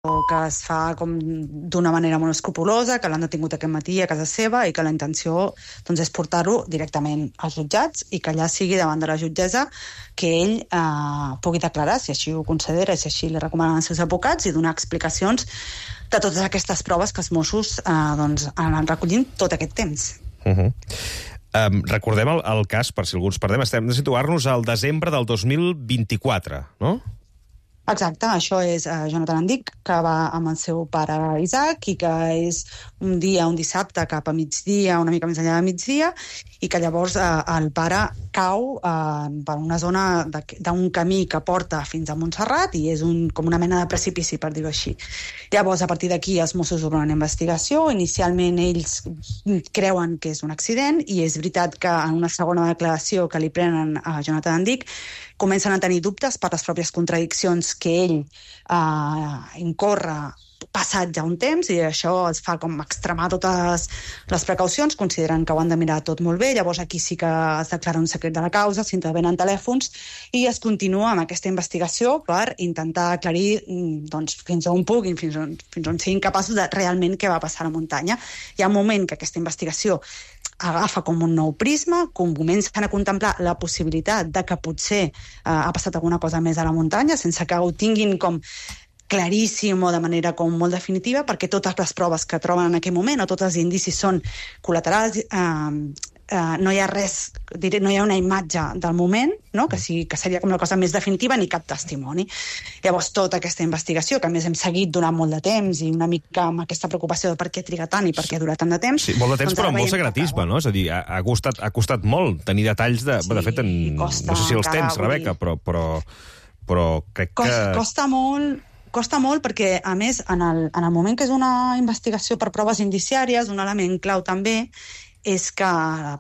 que es fa com d'una manera molt escrupulosa, que l'han detingut aquest matí a casa seva i que la intenció doncs, és portar-ho directament als jutjats i que allà sigui davant de la jutgessa que ell pugui declarar, si així ho considera, si així li recomanen els seus advocats, i donar explicacions de totes aquestes proves que els Mossos doncs, han recollint tot aquest temps. Recordem el cas, per si alguns perdem, estem de situar-nos al desembre del 2024, no? Exacte, això és Jonathan Andic, que va amb el seu pare Isaac i que és un dissabte cap a migdia, una mica més enllà de migdia, i que llavors el pare cau per una zona d'un camí que porta fins a Montserrat i és com una mena de precipici, per dir-ho així. Llavors, a partir d'aquí, els Mossos obren una investigació. Inicialment, ells creuen que és un accident i és veritat que en una segona declaració que li prenen a Jonathan Andic comencen a tenir dubtes per les pròpies contradiccions que ell incorre passat ja un temps, i això es fa com extremar totes les precaucions, consideren que ho han de mirar tot molt bé. Llavors aquí sí que es declara un secret de la causa, s'intervenen telèfons i es continua amb aquesta investigació per intentar aclarir doncs, fins on puguin, fins on siguin capaços de realment què va passar a la muntanya. Hi ha un moment que aquesta investigació agafa com un nou prisma, com comencen a contemplar la possibilitat de que potser ha passat alguna cosa més a la muntanya, sense que ho tinguin com claríssim o de manera com molt definitiva, perquè totes les proves que troben en aquell moment o tots els indicis són col·laterals, no hi ha res, no hi ha una imatge del moment, no? que seria com la cosa més definitiva, ni cap testimoni. Llavors, tota aquesta investigació, que a més hem seguit durant molt de temps i una mica amb aquesta preocupació de per què triga tant i per què dura tant de temps... Sí, molt de temps, però amb molt secretisme, no? És a dir, ha costat molt tenir detalls de... Sí, de fet, no sé si els tens, Rebeca, però crec que... Costa molt perquè, a més, en el moment que és una investigació per proves indiciàries, un element clau també és que la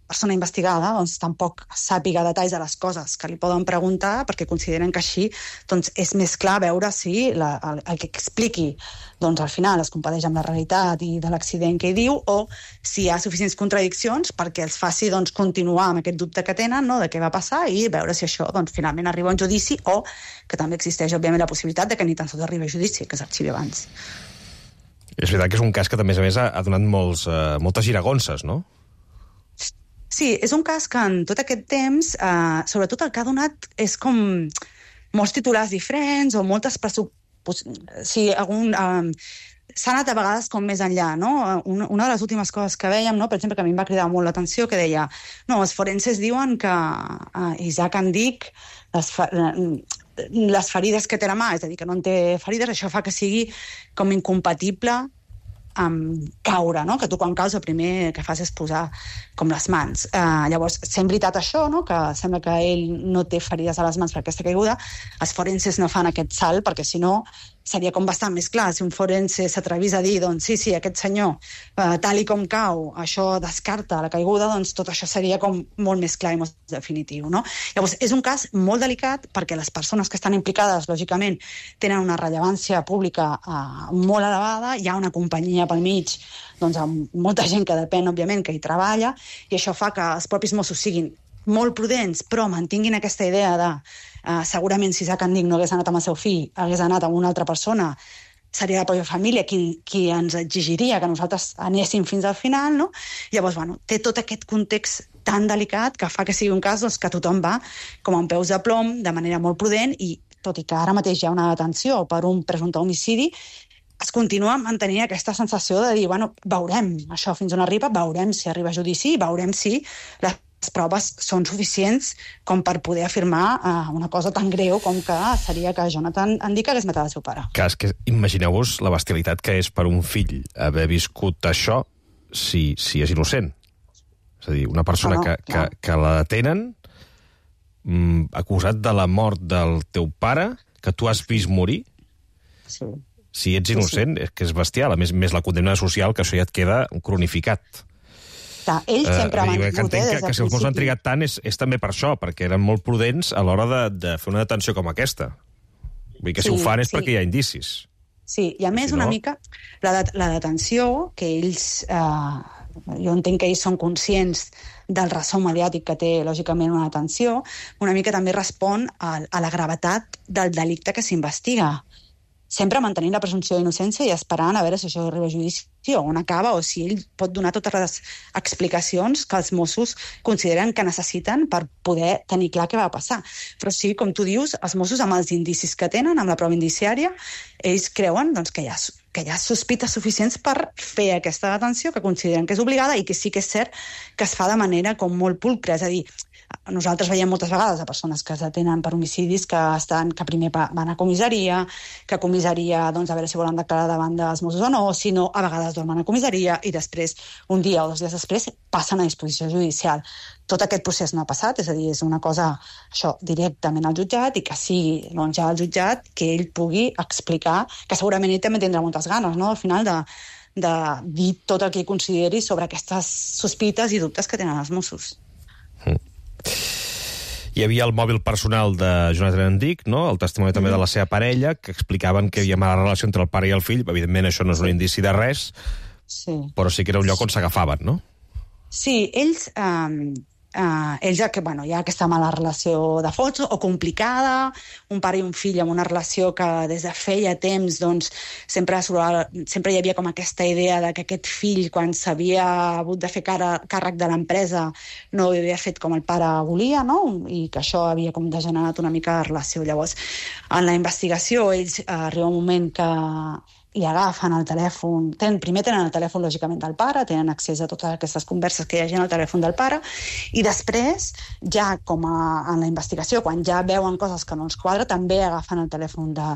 persona investigada doncs, tampoc sàpiga detalls de les coses que li poden preguntar, perquè consideren que així doncs, és més clar veure si el que expliqui doncs, al final es compadeix amb la realitat i de l'accident que hi diu, o si hi ha suficients contradiccions perquè els faci doncs, continuar amb aquest dubte que tenen, no?, de què va passar, i veure si això doncs, finalment arriba a un judici, o que també existeix, òbviament, la possibilitat de que ni tan sols arribi a judici, que s'arxivi abans. És veritat que és un cas que, a més, ha donat moltes giragonses, no? Sí, és un cas que en tot aquest temps, sobretot el que ha donat és com molts titulars diferents o moltes s'ha anat a vegades com més enllà, no? Una de les últimes coses que veiem, no? Per exemple, que a mi em va cridar molt l'atenció, que deia, no, els forenses diuen que Isaac Andic, les ferides que té a la mà, és a dir, que no en té ferides, això fa que sigui com incompatible amb caure, no? Que tu quan caus el primer que fas és posar com les mans. Llavors, sent veritat això, no? Que sembla que ell no té ferides a les mans per aquesta caiguda, els forenses no fan aquest salt, perquè si no seria com bastant més clar. Si un forense s'atrevís a dir, doncs sí, aquest senyor, tal i com cau, això descarta la caiguda, doncs tot això seria com molt més clar i molt definitiu, no? Llavors, és un cas molt delicat perquè les persones que estan implicades, lògicament, tenen una rellevància pública molt elevada, hi ha una companyia pel mig, doncs amb molta gent que depèn, òbviament, que hi treballa, i això fa que els propis Mossos siguin molt prudents, però mantinguin aquesta idea de segurament si Isaac Andic no hagués anat amb el seu fill, hagués anat amb una altra persona, seria la pròpia família qui ens exigiria que nosaltres anéssim fins al final, no? Llavors, bueno, té tot aquest context tan delicat que fa que sigui un cas doncs, que tothom va com amb peus de plom, de manera molt prudent, i tot i que ara mateix hi ha una detenció per un presumpte homicidi, es continua mantenint aquesta sensació de dir, bueno, veurem això fins on arriba, veurem si arriba a judici, veurem si les proves són suficients com per poder afirmar una cosa tan greu com que seria que Jonathan Andic hagués matat el seu pare. És que imagineu-vos la bestialitat que és per un fill haver viscut això si és innocent. És a dir, una persona que la detenen acusat de la mort del teu pare, que tu has vist morir, sí. Si ets innocent, és que és bestial. A més la condemna social, que això ja et queda cronificat. Ells sempre van que entenc que si els Mossos han trigat tant és també per això, perquè eren molt prudents a l'hora de fer una detenció com aquesta. Vull dir que si ho fan és perquè hi ha indicis. Sí, i a més una mica la detenció, que ells, jo entenc que ells són conscients del ressò mediàtic que té, lògicament, una detenció, una mica també respon a la gravetat del delicte que s'investiga. sempre mantenint la presumpció d'innocència i esperant a veure si això arriba a judici o on acaba, o si ell pot donar totes les explicacions que els Mossos consideren que necessiten per poder tenir clar què va passar. Però sí, com tu dius, els Mossos, amb els indicis que tenen, amb la prova indiciària, ells creuen doncs, que hi ha sospites suficients per fer aquesta detenció, que consideren que és obligada i que sí que és cert que es fa de manera com molt pulcra. És a dir, nosaltres veiem moltes vegades a persones que es detenen per homicidis que primer van a comissaria, que a comissaria, doncs, a veure si volen declarar davant dels Mossos o no, si no, a vegades dormen a comissaria i després, un dia o 2 dies després, passen a disposició judicial. Tot aquest procés no ha passat, és a dir, és una cosa, això, directament al jutjat, i que sigui, doncs, ja al jutjat que ell pugui explicar, que segurament ell també tindrà moltes ganes, no?, al final de dir tot el que consideri sobre aquestes sospites i dubtes que tenen els Mossos. Hi havia el mòbil personal de Jonathan Endic, no? El testimoni també de la seva parella, que explicaven que hi havia mala relació entre el pare i el fill. Evidentment, això no és un indici de res, però sí que era un lloc on s'agafaven, no? Sí, ells ja que, hi ha aquesta mala relació de fons o complicada, un pare i un fill amb una relació que des de feia temps doncs, sempre hi havia com aquesta idea de que aquest fill, quan s'havia hagut de fer càrrec de l'empresa, no ho havia fet com el pare volia, no? I que això havia com degenerat una mica la relació. Llavors, en la investigació, ells arriba un moment que i agafen el telèfon, primer tenen el telèfon lògicament del pare, tenen accés a totes aquestes converses que hi hagi en el telèfon del pare, i després, ja com en la investigació, quan ja veuen coses que no els quadra, també agafen el telèfon de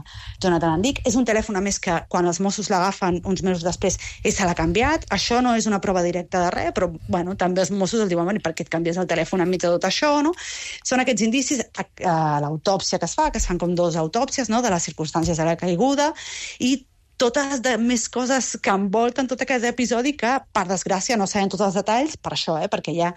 Jonathan Endic. És un telèfon, a més, que quan els Mossos l'agafen uns mesos després, ell se l'ha canviat. Això no és una prova directa de res, però també els Mossos els diuen, per què et canvies el telèfon enmig de tot això, no? Són aquests indicis, l'autòpsia que es fan com 2 autòpsies, no?, de les circumstàncies de la caiguda, i totes més coses que envolten tot aquest episodi que, per desgràcia, no sabem tots els detalls, per això, perquè hi ha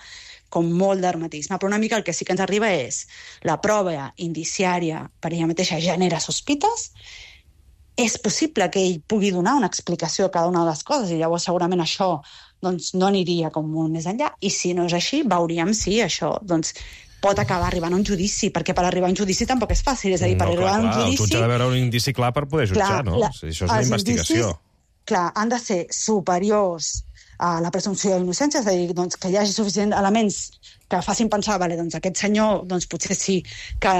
com molt d'hermetisme. Però una mica el que sí que ens arriba és la prova indiciària per ella mateixa genera sospites, és possible que ell pugui donar una explicació a cada una de les coses, i llavors segurament això doncs, no aniria com molt més enllà, i si no és així, veuríem si això doncs, pot acabar arribant a un judici, perquè per arribar a un judici tampoc és fàcil, és a dir, per arribar a un judici... El jutge ha de veure un indici clar per poder jutjar, no? Això és una investigació. Clar, han de ser superiors a la presumpció d'innocència, és a dir, doncs, que hi hagi suficients elements que facin pensar, doncs aquest senyor, doncs potser sí que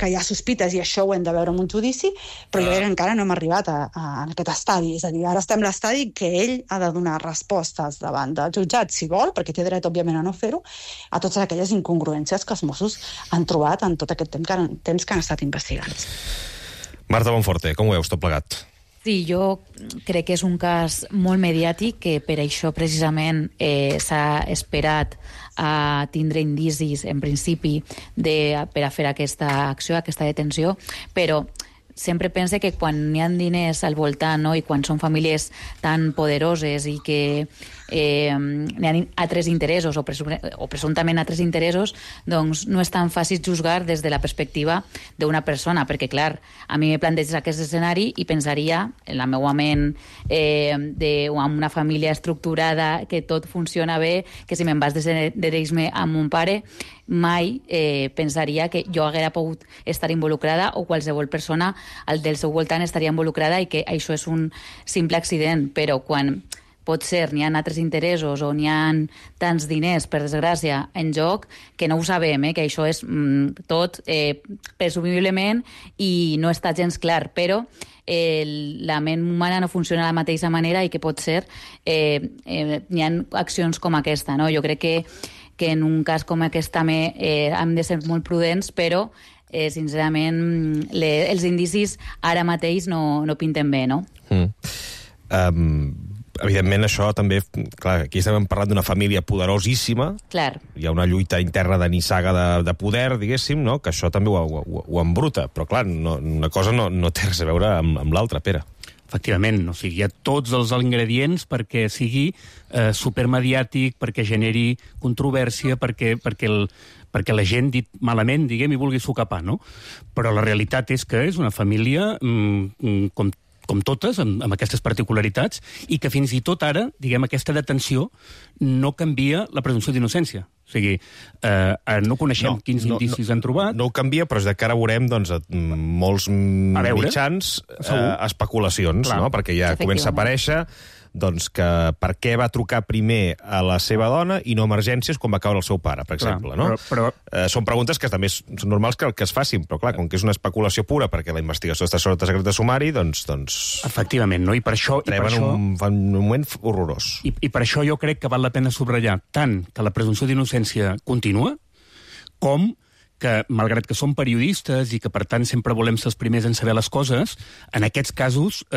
hi ha sospites i això ho hem de veure en un judici, però jo crec que encara no hem arribat a aquest estadi. És a dir, ara estem a l'estadi que ell ha de donar respostes davant del jutjat, si vol, perquè té dret, òbviament, a no fer-ho, a totes aquelles incongruències que els Mossos han trobat en tot aquest temps que han estat investigats. Marta Bonforte, com ho veus tot plegat? Sí, jo crec que és un cas molt mediàtic, que per això precisament s'ha esperat a tindre indicis, en principi, per a fer aquesta acció, aquesta detenció, però sempre pense que quan hi ha diners al voltant, no?, i quan són famílies tan poderoses i que hi ha altres interessos o presumptament altres interessos, doncs no és tan fàcil juzgar des de la perspectiva d'una persona, perquè, clar, a mi me planteges aquest escenari i pensaria, en la meva ment, amb una família estructurada, que tot funciona bé, que si me'n vas desheredir-me amb mon pare, mai pensaria que jo haguera pogut estar involucrada o qualsevol persona del seu voltant estaria involucrada i que això és un simple accident, però quan potser n'hi ha altres interessos o n'hi ha tants diners, per desgràcia, en joc, que no ho sabem, que això és tot presumiblement i no està gens clar, però la ment humana no funciona de la mateixa manera i que potser n'hi ha accions com aquesta, no? Jo crec que en un cas com aquest també hem de ser molt prudents, però sincerament els indicis ara mateix no pinten bé, no? Evidentment, això també... Clar, aquí estem parlant d'una família poderosíssima. Clar. Hi ha una lluita interna de nissaga de poder, diguéssim, no?, que això també ho embruta. Però, clar, una cosa no té res a veure amb l'altra, Pere. Efectivament, o sigui, hi ha tots els ingredients perquè sigui supermediàtic, perquè generi controvèrsia, perquè la gent, dit malament, diguem, hi vulgui socapar, no? Però la realitat és que és una família com totes, amb aquestes particularitats, i que fins i tot ara, diguem, aquesta detenció no canvia la presumpció d'innocència. O sigui, no coneixem quins indicis han trobat. No ho canvia, però és que ara veurem molts mitjans especulacions, no? Perquè ja comença a aparèixer que per què va trucar primer a la seva dona i no a emergències quan va caure el seu pare, per exemple, no? Són preguntes que també són normals que es facin, però clar, com que és una especulació pura perquè la investigació està sota secret de sumari, doncs... Efectivament, no? I per això... Fan un moment horrorós. I per això jo crec que val la pena subratllar tant que la presumpció d'innocència continua, com que, malgrat que som periodistes i que, per tant, sempre volem ser els primers en saber les coses, en aquests casos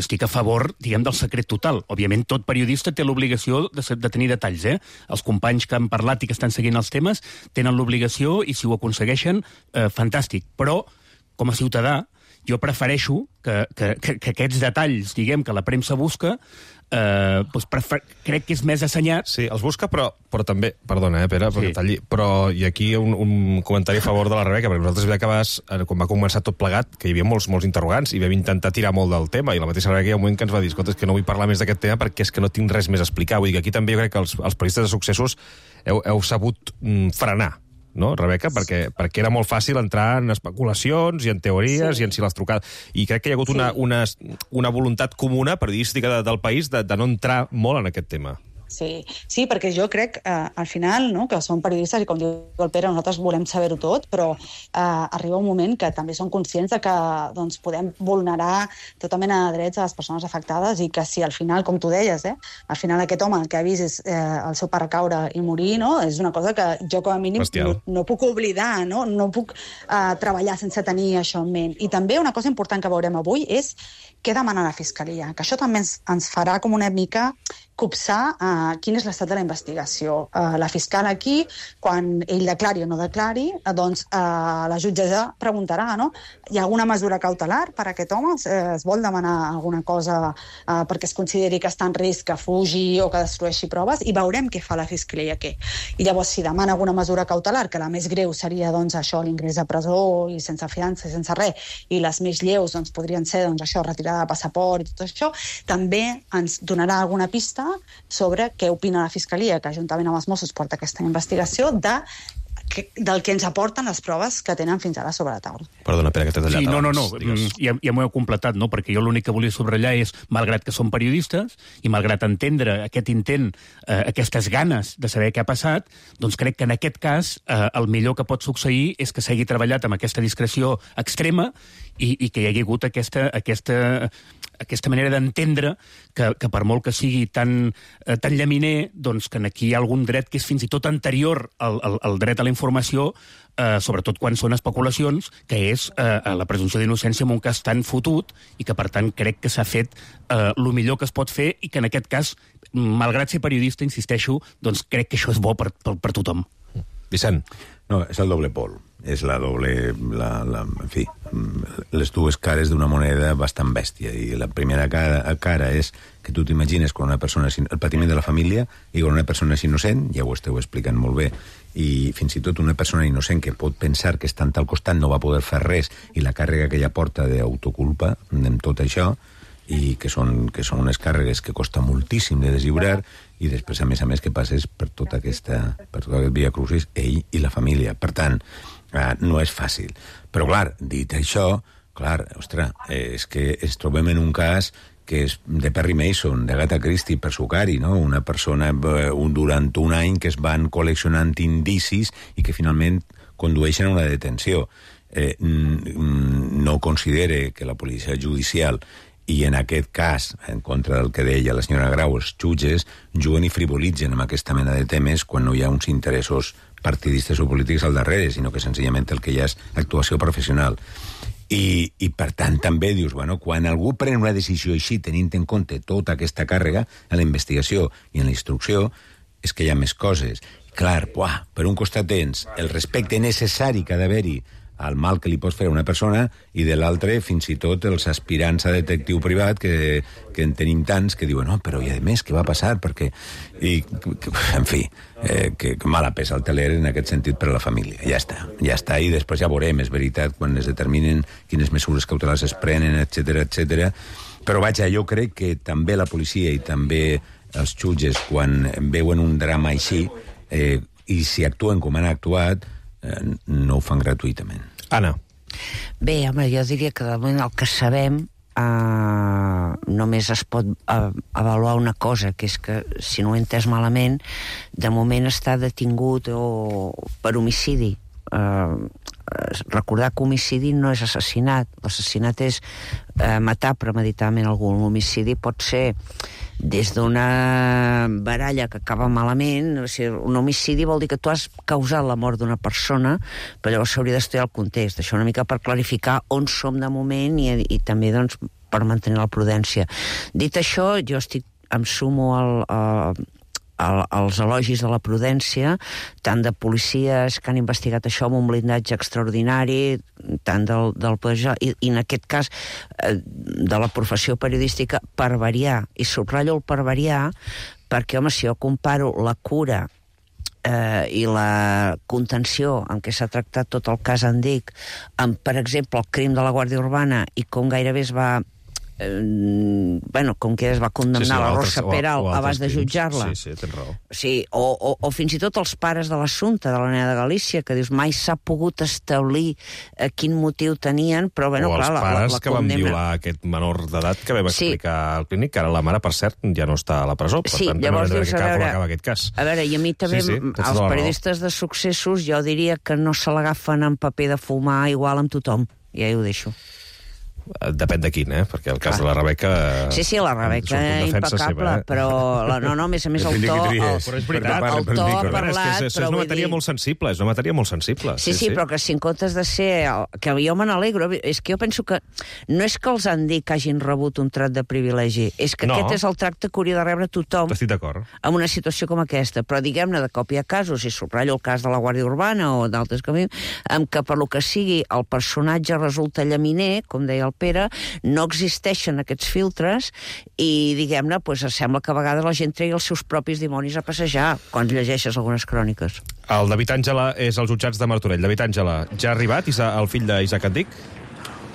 estic a favor, diguem, del secret total. Òbviament, tot periodista té l'obligació de tenir detalls, Els companys que han parlat i que estan seguint els temes tenen l'obligació i, si ho aconsegueixen, fantàstic. Però, com a ciutadà, jo prefereixo que aquests detalls, diguem, que la premsa busca, crec que és més assenyat. Sí, els busca, però també... Perdona, Pere, perquè talli... Però hi ha aquí un comentari a favor de la Rebeca, perquè nosaltres vam acabar, quan va començar tot plegat, que hi havia molts interrogants, i vam intentar tirar molt del tema, i la mateixa Rebeca hi ha un moment que ens va dir, escolta, és que no vull parlar més d'aquest tema perquè és que no tinc res més a explicar. Vull dir que aquí també jo crec que els periodistes de successos heu sabut frenar, no, Rebeca? Perquè era molt fàcil entrar en especulacions i en teories i en si les trucades. I crec que hi ha hagut una voluntat comuna periodística del país de no entrar molt en aquest tema. Sí, perquè jo crec, al final, no, que som periodistes i, com diu el Pere, nosaltres volem saber-ho tot, però arriba un moment que també som conscients de que podem vulnerar tota mena de drets a les persones afectades i que si al final, com tu deies, al final aquest home el que ha vist és el seu pare caure i morir, no? És una cosa que jo com a mínim no puc oblidar, no puc treballar sense tenir això en ment. I també una cosa important que veurem avui és què demana la Fiscalia, que això també ens farà com una mica copsar quin és l'estat de la investigació. La fiscal aquí, quan ell declari o no declari, doncs la jutgessa preguntarà, no? Hi ha alguna mesura cautelar per a aquest home? Es vol demanar alguna cosa perquè es consideri que està en risc, que fugi o que destrueixi proves? I veurem què fa la Fiscalia aquí. I llavors, si demana alguna mesura cautelar, que la més greu seria això, l'ingrés a presó i sense fiança i sense res, i les més lleus podrien ser això, retirada de passaport i tot això, també ens donarà alguna pista sobre què opina la Fiscalia, que juntament amb els Mossos porta aquesta investigació, del que ens aporten les proves que tenen fins ara sobre la taula. Perdona, Pere, que t'he tallat abans. Ja m'ho he completat, no? Perquè jo l'únic que volia subratllar és, malgrat que som periodistes i malgrat entendre aquest intent, aquestes ganes de saber què ha passat, doncs crec que en aquest cas el millor que pot succeir és que s'hagi treballat amb aquesta discreció extrema i que hi hagi hagut aquesta manera d'entendre que per molt que sigui tan llaminer, doncs que aquí hi ha algun dret que és fins i tot anterior al dret a la informació, sobretot quan són especulacions, que és la presumpció d'innocència en un cas tan fotut i que, per tant, crec que s'ha fet el millor que es pot fer i que, en aquest cas, malgrat ser periodista, insisteixo, doncs crec que això és bo per tothom. Vicent. No, és el doble pol. És la doble... en fi, les dues cares d'una moneda bastant bèstia. I la primera cara és que tu t'imagines quan una persona... el patiment de la família i quan una persona és innocent, ja ho esteu explicant molt bé, i fins i tot una persona innocent que pot pensar que estant al costat no va poder fer res i la càrrega que ella porta d'autoculpa en tot això, i que són unes càrregues que costa moltíssim de deslliurar, i després, a més, que passes per tot aquest via crucis, ell i la família. Per tant, no és fàcil. Però, clar, dit això, és que ens trobem en un cas que és de Perry Mason, de Agatha Christie, per sucar-hi, no? Una persona durant un any que es van col·leccionant indicis i que finalment condueixen a una detenció. No considere que la policia judicial i en aquest cas, en contra del que deia la senyora Grau, els jutges juguen i frivolitzen amb aquesta mena de temes quan no hi ha uns interessos partidistes o polítics al darrere, sinó que senzillament el que hi ha és actuació professional. I per tant també dius, quan algú pren una decisió així, tenint en compte tota aquesta càrrega en la investigació i en la instrucció, és que hi ha més coses. Clar, per un costat tens el respecte necessari que ha d'haver-hi al mal que li pots fer a una persona, i de l'altre, fins i tot, els aspirants a detectiu privat, que en tenim tants, que diuen, però i a més, què va passar? Perquè... en fi, que mala pesa el teler en aquest sentit per a la família. Ja està, i després ja veurem, és veritat, quan es determinen quines mesures cautelars es prenen, etc. Però vaja, jo crec que també la policia i també els jutges, quan veuen un drama així, i si actuen com han actuat, no ho fan gratuïtament. Anna. Bé, home, jo diria que de moment el que sabem només es pot avaluar una cosa, que és que, si no ho he entès malament, de moment està detingut per homicidi. Recordar que homicidi no és assassinat. L'assassinat és matar premeditadament algú. L'homicidi pot ser des d'una baralla que acaba malament. O sigui, un homicidi vol dir que tu has causat la mort d'una persona, però llavors s'hauria d'estudiar el context. Això una mica per clarificar on som de moment i també, doncs, per mantenir la prudència. Dit això, jo em sumo als elogis de la prudència, tant de policies que han investigat això amb un blindatge extraordinari, tant del poder, i en aquest cas de la professió periodística, per variar. I subratllo el per variar perquè, home, si jo comparo la cura i la contenció en què s'ha tractat tot el cas Andic amb, per exemple, el crim de la Guàrdia Urbana i com gairebé es va com que es va condemnar la Rosa Peral abans de jutjar-la. Sí, tens raó. Sí, o fins i tot els pares de l'assumpte de la nena de Galícia, que dius, mai s'ha pogut establir quin motiu tenien, però clar, o els pares que van violar aquest menor d'edat que vam explicar al clínic, que ara la mare, per cert, ja no està a la presó, per tant, llavors dius, acaba aquest cas. A veure, i a mi també, els periodistes de successos, jo diria que no se l'agafen en paper de fumar igual amb tothom, ja ho deixo. Depèn de quin, perquè el cas de la Rebeca... Sí, la Rebeca impecable, però a més el to... Però és veritat, el to ha parlat... És una matèria molt sensible, Sí, però que si en comptes de ser... Que jo me n'alegro, és que jo penso que no és que els Andic hagin rebut un tracte de privilegi, és que aquest és el tracte que hauria de rebre tothom en una situació com aquesta, però diguem-ne, de cop hi ha casos, i subratllo el cas de la Guàrdia Urbana o d'altres camins, en què per lo que sigui el personatge resulta llaminer, com deia el Pere, no existeixen aquests filtres i, diguem-ne, sembla que a vegades la gent tregui els seus propis dimonis a passejar quan llegeixes algunes cròniques. El David Àngela és als jutjats de Martorell. David Àngela, ja ha arribat el fill d'Isaac Andic?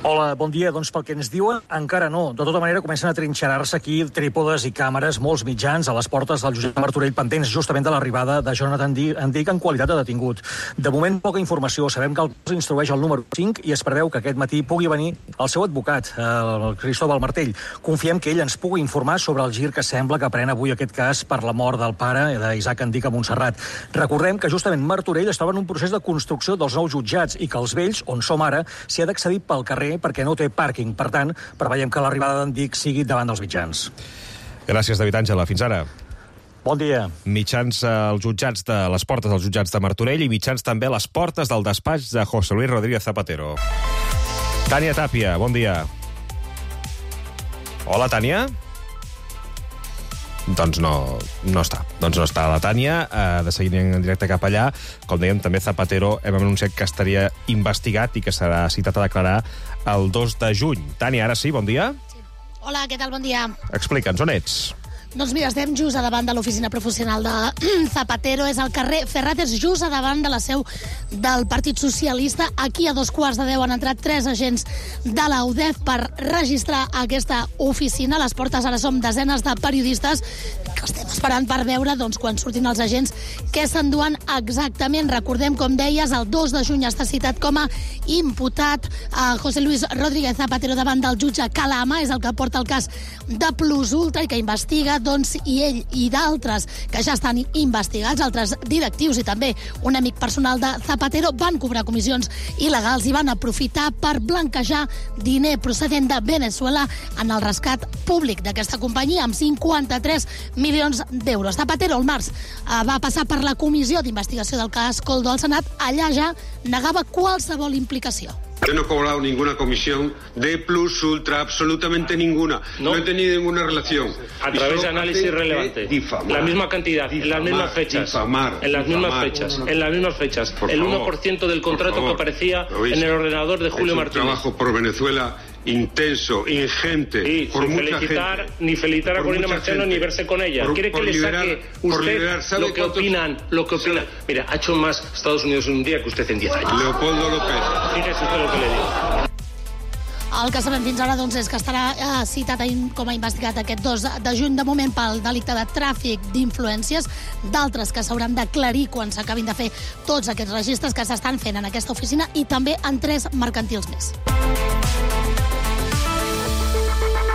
Hola, bon dia. Doncs pel que ens diuen, encara no. De tota manera, comencen a trinxerar-se aquí trípodes i càmeres, molts mitjans a les portes del jutjat de Martorell, pendents justament de l'arribada de Jonathan Andic en qualitat de detingut. De moment, poca informació. Sabem que el cas instrueix el número 5 i es preveu que aquest matí pugui venir el seu advocat, el Cristóbal Martell. Confiem que ell ens pugui informar sobre el gir que sembla que pren avui aquest cas per la mort del pare d'Isaac Andic a Montserrat. Recordem que justament Martorell estava en un procés de construcció dels nous jutjats i que els vells, on som ara, s'hi ha d'accedir pel carrer perquè no té pàrquing. Per tant, preveiem que l'arribada d'Andic sigui davant dels mitjans. Gràcies, David Àngela. Fins ara. Bon dia. Mitjans als jutjats de les portes dels jutjats de Martorell i mitjans també a les portes del despatx de José Luis Rodríguez Zapatero. Tània Tàpia, bon dia. Hola, Tània? Doncs no està la Tània. De seguir en directe cap allà. Com dèiem, també Zapatero hem anunciat que estaria investigat i que serà citat a declarar el 2 de juny. Tània, ara sí, bon dia. Sí. Hola, què tal? Bon dia. Explica'ns, on ets? Doncs mira, estem just a davant de l'oficina professional de Zapatero, és al carrer Ferrates, just a davant de la seu del Partit Socialista. Aquí a 9:15 han entrat 3 agents de la UDEF per registrar aquesta oficina. A les portes ara som desenes de periodistes que estem esperant per veure, doncs, quan surtin els agents, què s'enduen exactament. Recordem, com deies, el 2 de juny està citat com a imputat a José Luis Rodríguez Zapatero davant del jutge Calama, és el que porta el cas de Plus Ultra i que investiga, doncs, i ell i d'altres que ja estan investigats, altres directius i també un amic personal de Zapatero, van cobrar comissions il·legals i van aprofitar per blanquejar diner procedent de Venezuela en el rescat públic d'aquesta companyia amb 53 milions d'euros. Zapatero el març va passar per la comissió d'investigació del cas Coldo al Senat. Allà ja negava qualsevol implicació. Yo no he cobrado ninguna comisión de Plus Ultra, absolutamente ninguna. No he tenido ninguna relación. A través de análisis relevante. La misma cantidad, en las mismas fechas. En las mismas fechas. El 1% del contrato que aparecía en el ordenador de Julio Martínez. Trabajo por Venezuela intenso, ingente, y por mucha gente. Ni felicitar a Corina Marchano ni verse con ella. ¿Quiere que le saque usted lo que opinan? Mira, ha hecho más Estados Unidos en un día que usted en 10 años. Leopoldo López. Fíjese usted lo que le digo. El que sabem fins ara doncs, és que estarà citat com a investigat aquest 2 de juny, de moment pel delicte de tràfic d'influències, d'altres que s'hauran d'aclarir quan s'acabin de fer tots aquests registres que s'estan fent en aquesta oficina i també en 3 mercantils més.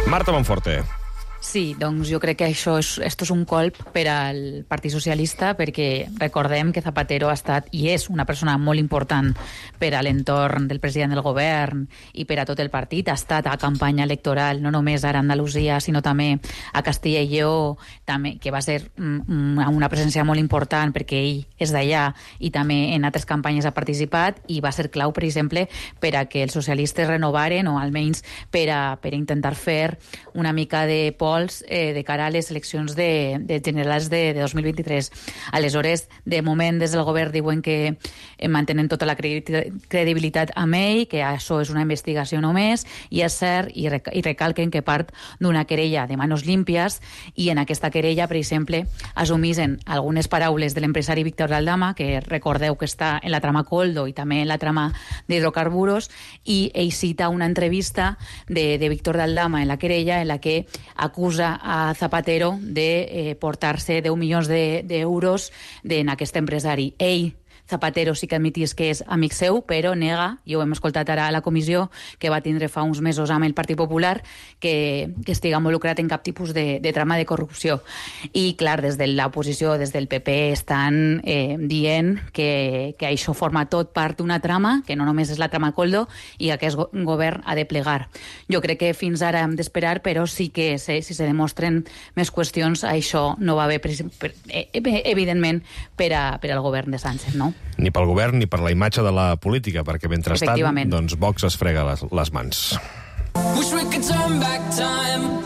Marta Monforte. Sí, doncs jo crec que esto és un colp per al Partit Socialista, perquè recordem que Zapatero ha estat i és una persona molt important per a l'entorn del president del govern i per a tot el partit. Ha estat a campanya electoral, no només ara a Andalusia, sinó també a Castilla i Lleó, també, que va ser una presència molt important perquè ell és d'allà i també en altres campanyes ha participat, i va ser clau, per exemple, per a que els socialistes renovaren, o almenys per a intentar fer una mica de de cara a les eleccions generals de 2023. Aleshores, de moment, des del govern diuen que mantenen tota la credibilitat amb ell, que això és una investigació només, i és cert, i recalquen que part d'una querella de manos límpies, i en aquesta querella, per exemple, assumisen algunes paraules de l'empresari Víctor Aldama, que recordeu que està en la trama Coldo i també en la trama d'hidrocarburos, i ell cita una entrevista de Víctor Aldama en la querella en la que acusa a Zapatero de portar-se 10 milions d'euros en aquest empresari. Ell, Zapatero, sí que admitís que és amic seu, però nega, i ho hem escoltat ara a la comissió que va tindre fa uns mesos amb el Partit Popular, que estiga involucrat en cap tipus de trama de corrupció. I, clar, des de l'oposició, des del PP, estan dient que això forma tot part d'una trama, que no només és la trama Coldo, i que aquest govern ha de plegar. Jo crec que fins ara hem d'esperar, però sí que si se demostren més qüestions, això no va bé, evidentment, per al govern de Sánchez, no? Ni pel govern ni per la imatge de la política, perquè mentrestant doncs Vox es frega les mans. Wish we could turn back time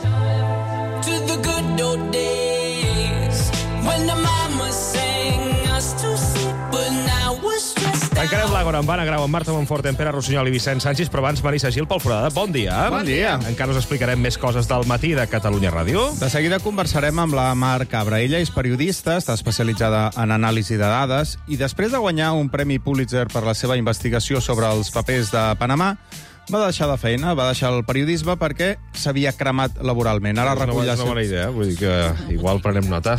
to the good old days when the mama sang us to sleep but now we're stressed. Tancarem l'Àgora amb Anna Grau, amb Marta Monforte, en Pere Rossinyol i Vicent Sánchez, però abans Marisa Gil pel Foradada. Bon dia. Bon dia. Encara us explicarem més coses del matí de Catalunya Ràdio. De seguida conversarem amb la Mar Cabra. Ella és periodista, està especialitzada en anàlisi de dades, i després de guanyar un premi Pulitzer per la seva investigació sobre els papers de Panamà, va deixar de feina, va deixar el periodisme perquè s'havia cremat laboralment. Ara recull és una bona idea, vull dir que igual prenem nota.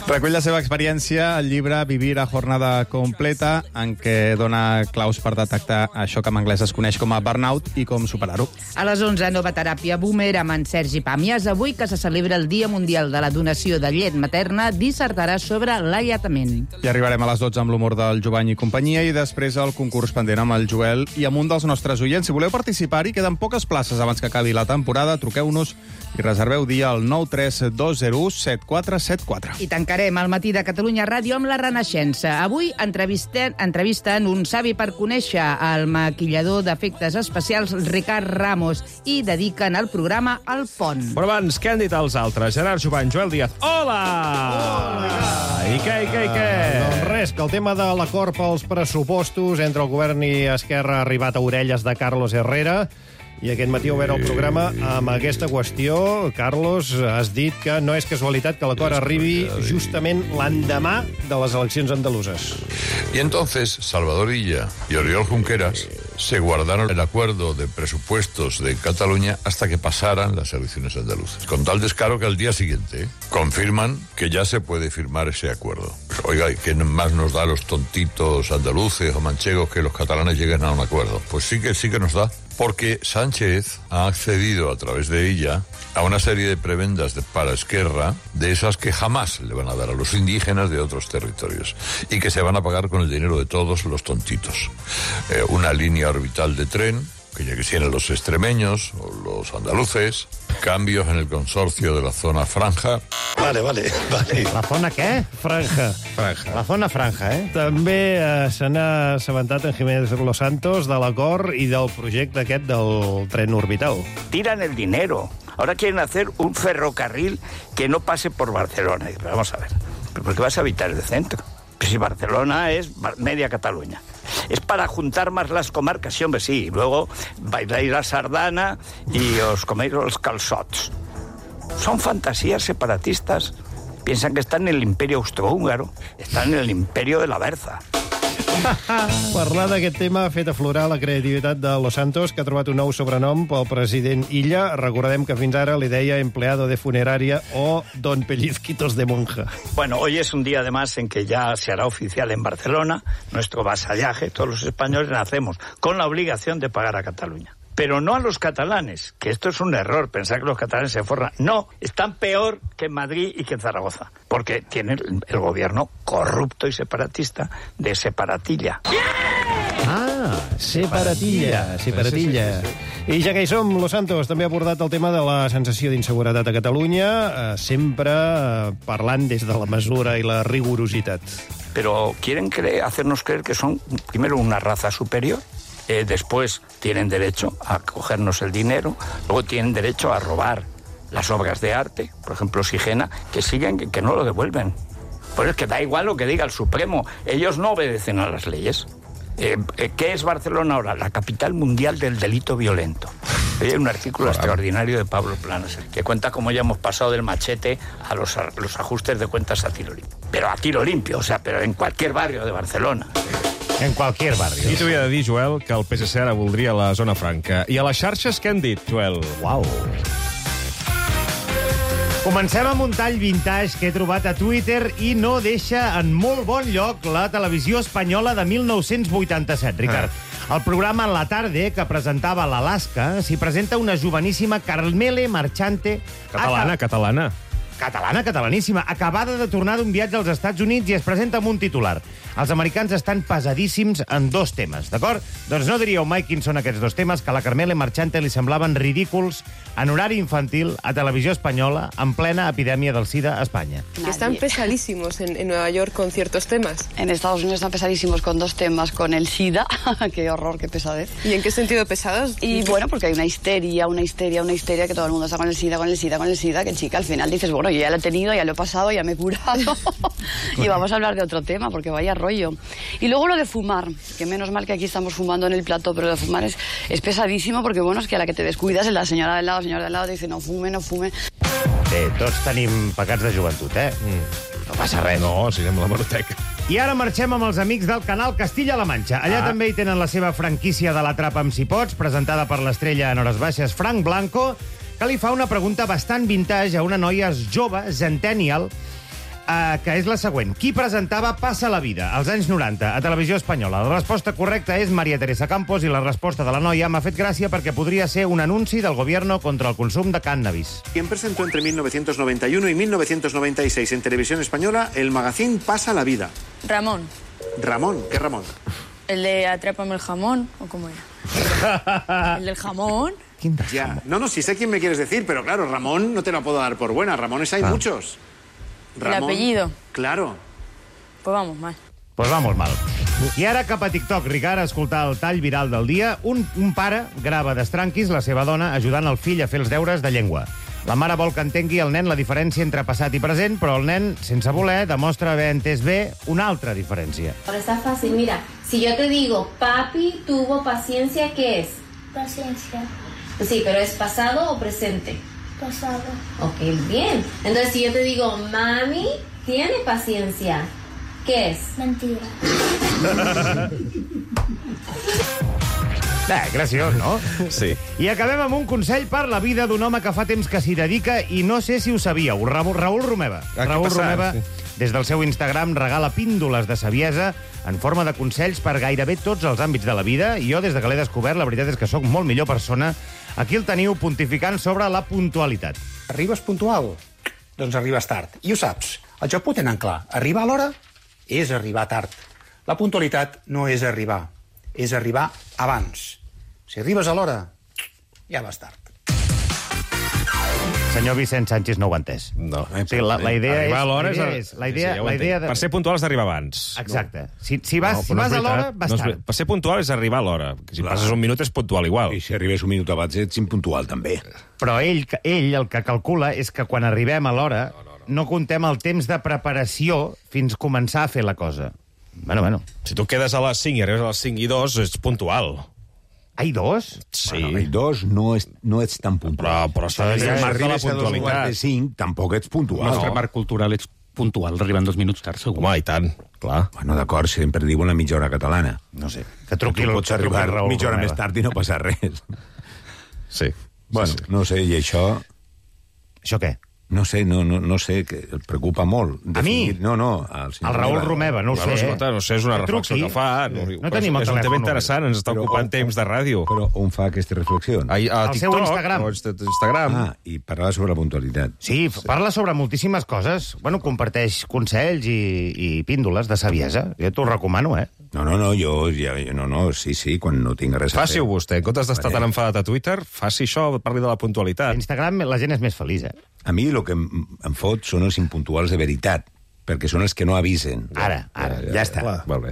Recull la seva experiència al llibre Vivir a jornada completa, en què dona claus per detectar això que en anglès es coneix com a burnout i com superar-ho. A les 11, nova teràpia boomer amb en Sergi Pàmies. Avui, que se celebra el Dia Mundial de la Donació de Llet Materna, dissertarà sobre l'alletament. I arribarem a les 12 amb l'humor del Jovany i companyia, i després el concurs pendent amb el Joel i amb un dels nostres oients. Si voleu participar-hi, queden poques places abans que acabi la temporada. Truqueu-nos i reserveu dia al 932017474. I tancarem el matí de Catalunya Ràdio amb la Renaixença. Avui entrevisten un savi per conèixer el maquillador d'efectes especials Ricard Ramos, i dediquen el programa al pont. Però abans, què han dit els altres? Gerard Jovany, Joel Díaz. Hola! Hola! I què? Doncs res, que el tema de l'acord pels pressupostos entre el govern i Esquerra ha arribat a orelles de Carlos Herrera, i aquest matí he obert el programa amb aquesta qüestió. Carlos, has dit que no és casualitat que l'acord arribi justament l'endemà de les eleccions andaluses. Y entonces Salvador Illa y Oriol Junqueras se guardaron el acuerdo de presupuestos de Cataluña hasta que pasaran las elecciones andaluzas. Con tal descaro que al día siguiente confirman que ya se puede firmar ese acuerdo. Oiga, ¿qué más nos da a los tontitos andaluces o manchegos que los catalanes lleguen a un acuerdo? Pues sí que nos da. Porque Sánchez ha accedido a través de ella a una serie de prebendas para Esquerra, de esas que jamás le van a dar a los indígenas de otros territorios y que se van a pagar con el dinero de todos los tontitos. Una línea orbital de tren, que ya quisieran los extremeños o los andaluces, cambios en el consorcio de la zona franja. Vale. La zona què? Franja. La zona franja, eh? També se n'ha assabentat en Jiménez Los Santos de l'acord i del projecte aquest del tren orbital. Tiran el dinero. Ahora quieren hacer un ferrocarril que no pase por Barcelona. Pero vamos a ver, ¿por qué vas a evitar el centro? Pues si Barcelona es media Cataluña. Es para juntar más las comarcas, sí, hombre, sí. Y luego bailáis la sardana y os coméis los calçots. Son fantasías separatistas. Piensan que están en el imperio austrohúngaro. Están en el imperio de la Berza. Parlar d'aquest tema ha fet aflorar la creativitat de Los Santos, que ha trobat un nou sobrenom pel president Illa. Recordem que fins ara li deia empleado de funeraria o don Pellizquitos de monja. Bueno, hoy es un día además en que ya se hará oficial en Barcelona nuestro vasallaje. Todos los españoles nacemos con la obligación de pagar a Cataluña. Pero no a los catalanes, que esto es un error, pensar que los catalanes se forran. No, están peor que en Madrid y que en Zaragoza, porque tienen el gobierno corrupto y separatista de Separatilla. Ah, separatilla. I ja que hi som, Los Santos també ha abordat el tema de la sensació d'inseguretat a Catalunya, sempre parlant des de la mesura i la rigorositat. Pero quieren hacernos creer que son, primero, una raza superior, después tienen derecho a cogernos el dinero, luego tienen derecho a robar las obras de arte, por ejemplo, Sigena, que siguen, que no lo devuelven. Pues es que da igual lo que diga el Supremo, ellos no obedecen a las leyes. ¿Qué es Barcelona ahora? La capital mundial del delito violento. Hay un artículo extraordinario de Pablo Planas que cuenta cómo ya hemos pasado del machete a los ajustes de cuentas a tiro limpio. Pero a tiro limpio, o sea, pero en cualquier barrio de Barcelona. En qualsevol barri. I t'ho havia de dir, Joel, que el PSC ara voldria la zona franca. I a les xarxes què han dit, Joel? Uau. Comencem amb un tall vintage que he trobat a Twitter i no deixa en molt bon lloc la televisió espanyola de 1987, Ricard. Al programa La Tarde, que presentava l'Alaska, s'hi presenta una joveníssima Carmele Marchante... Catalaníssima, acabada de tornar d'un viatge als Estats Units i es presenta amb un titular. Els americans estan pesadíssims en dos temes, d'acord? Doncs no diríeu mai quins són aquests dos temes, que a la Carmele Marchante li semblaven ridículs en horari infantil a televisió espanyola en plena epidèmia del SIDA a Espanya. Están pesadísimos en Nueva York con ciertos temas. En Estados Unidos están pesadísimos con dos temas, con el SIDA, qué horror, qué pesadez. ¿Y en qué sentido pesados? Y bueno, porque hay una histeria, que todo el mundo está con el SIDA, que chica, al final dices, bueno, yo ya lo he tenido, ya lo he pasado, ya me he curado, y vamos a hablar de otro tema, porque vaya rollo. Y luego lo de fumar, que menos mal que aquí estamos fumando en el plató, pero lo de fumar es pesadísimo, porque bueno, es que a la que te descuidas es la señora del lado, te dice no fume. Bé, tots tenim pecats de joventut, eh? No passa res. No, siguem la hemeroteca. I ara marxem amb els amics del canal Castilla-La Manxa. Allà també hi tenen la seva franquícia de l'Atrapa amb si pots, presentada per l'estrella en hores baixes Frank Blanco, que li fa una pregunta bastant vintage a una noia jove, centennial, que és la següent. Qui presentava Passa la vida als anys 90 a Televisió Espanyola? La resposta correcta és María Teresa Campos i la resposta de la noia m'ha fet gràcia perquè podria ser un anunci del gobierno contra el consum de cannabis. ¿Quién presentó entre 1991 y 1996 en Televisión Española el magazine Pasa la vida? Ramón. ¿Ramón? ¿Qué Ramón? ¿El de Atrápame el jamón? ¿O cómo era? ¿El del jamón? Ya. No, sí sé quién me quieres decir, pero claro, Ramón no te lo puedo dar por buena. Ramones hay muchos. Ramón, ¿el apellido? Claro. Pues vamos mal. Pues vamos mal. I ara cap a TikTok, Ricard, a escoltar el tall viral del dia. Un pare grava d'estranquis la seva dona ajudant el fill a fer els deures de llengua. La mare vol que entengui el nen la diferència entre passat i present, però el nen, sense voler, demostra haver entès bé una altra diferència. Ahora está fácil, mira, si yo te digo, papi tuvo paciencia, ¿qué es? Paciencia. Sí, pero ¿es pasado o presente? Pasado. Ok, bien. Entonces, si yo te digo, mami tiene paciencia, ¿qué es? Mentira. Graciós, no? Sí. I acabem amb un consell per la vida d'un home que fa temps que s'hi dedica i no sé si ho sabíeu. Raül Romeva. Raül Romeva, des del seu Instagram, regala píndoles de saviesa en forma de consells per gairebé tots els àmbits de la vida. I jo, des de que l'he descobert, la veritat és que sóc molt millor persona. Aquí el teniu pontificant sobre la puntualitat. Arribes puntual? Doncs arribes tard. I ho saps. El Japó tenen clar. Arribar a l'hora és arribar tard. La puntualitat no és arribar, és arribar abans. Si arribes a l'hora, ja vas tard. Senyor Vicent Sánchez no ho ha entès. No. Sí, la idea arribar a l'hora és... La idea Per ser puntual has d'arribar abans. Exacte. Si vas a l'hora, vas tard. Per ser puntual és arribar a l'hora. Si passes un minut és puntual igual. I si arribes un minut abans ets impuntual, també. Però ell el que calcula és que quan arribem a l'hora no contem el temps de preparació fins començar a fer la cosa. Bueno. Si tu quedes a les 5 i arribes a les 5 i 2, ets puntual. Ai, 2? Sí. Bueno, ai, 2 no ets tan puntual. Però s'ha de si marcar la arribes a 2:45, puntualitat. tampoc ets puntual. El nostre marc cultural ets puntual, arribant 2 minuts tard, segur. Home, i tant, clar. Bueno, d'acord, sempre diuen la mitja hora catalana. No sé, que truqui... Tu pots arribar mitja hora més tard i no passa res. Sí. Bueno, no sé, i això... Això què? No sé, no sé, que el preocupa molt. A mi? No, el Raül Romeva, no ho sé. No sé, és una reflexió que fa. No tenim el telèfon. És un tema interessant, ens està ocupant temps de ràdio. Però on fa aquesta reflexió? A TikTok, seu Instagram. Instagram. I parla sobre la puntualitat. Sí, parla sobre moltíssimes coses. Bueno, comparteix consells i píndoles de saviesa. Jo t'ho recomano, sí, quan no tinc res a fer. Faci-ho vostè, en comptes d'estar tan enfadat a Twitter, faci això, parli de la puntualitat. A Instagram la gent és més feliç, A mi el que em fot són els impuntuals de veritat, perquè són els que no avisen. Ara, ja està.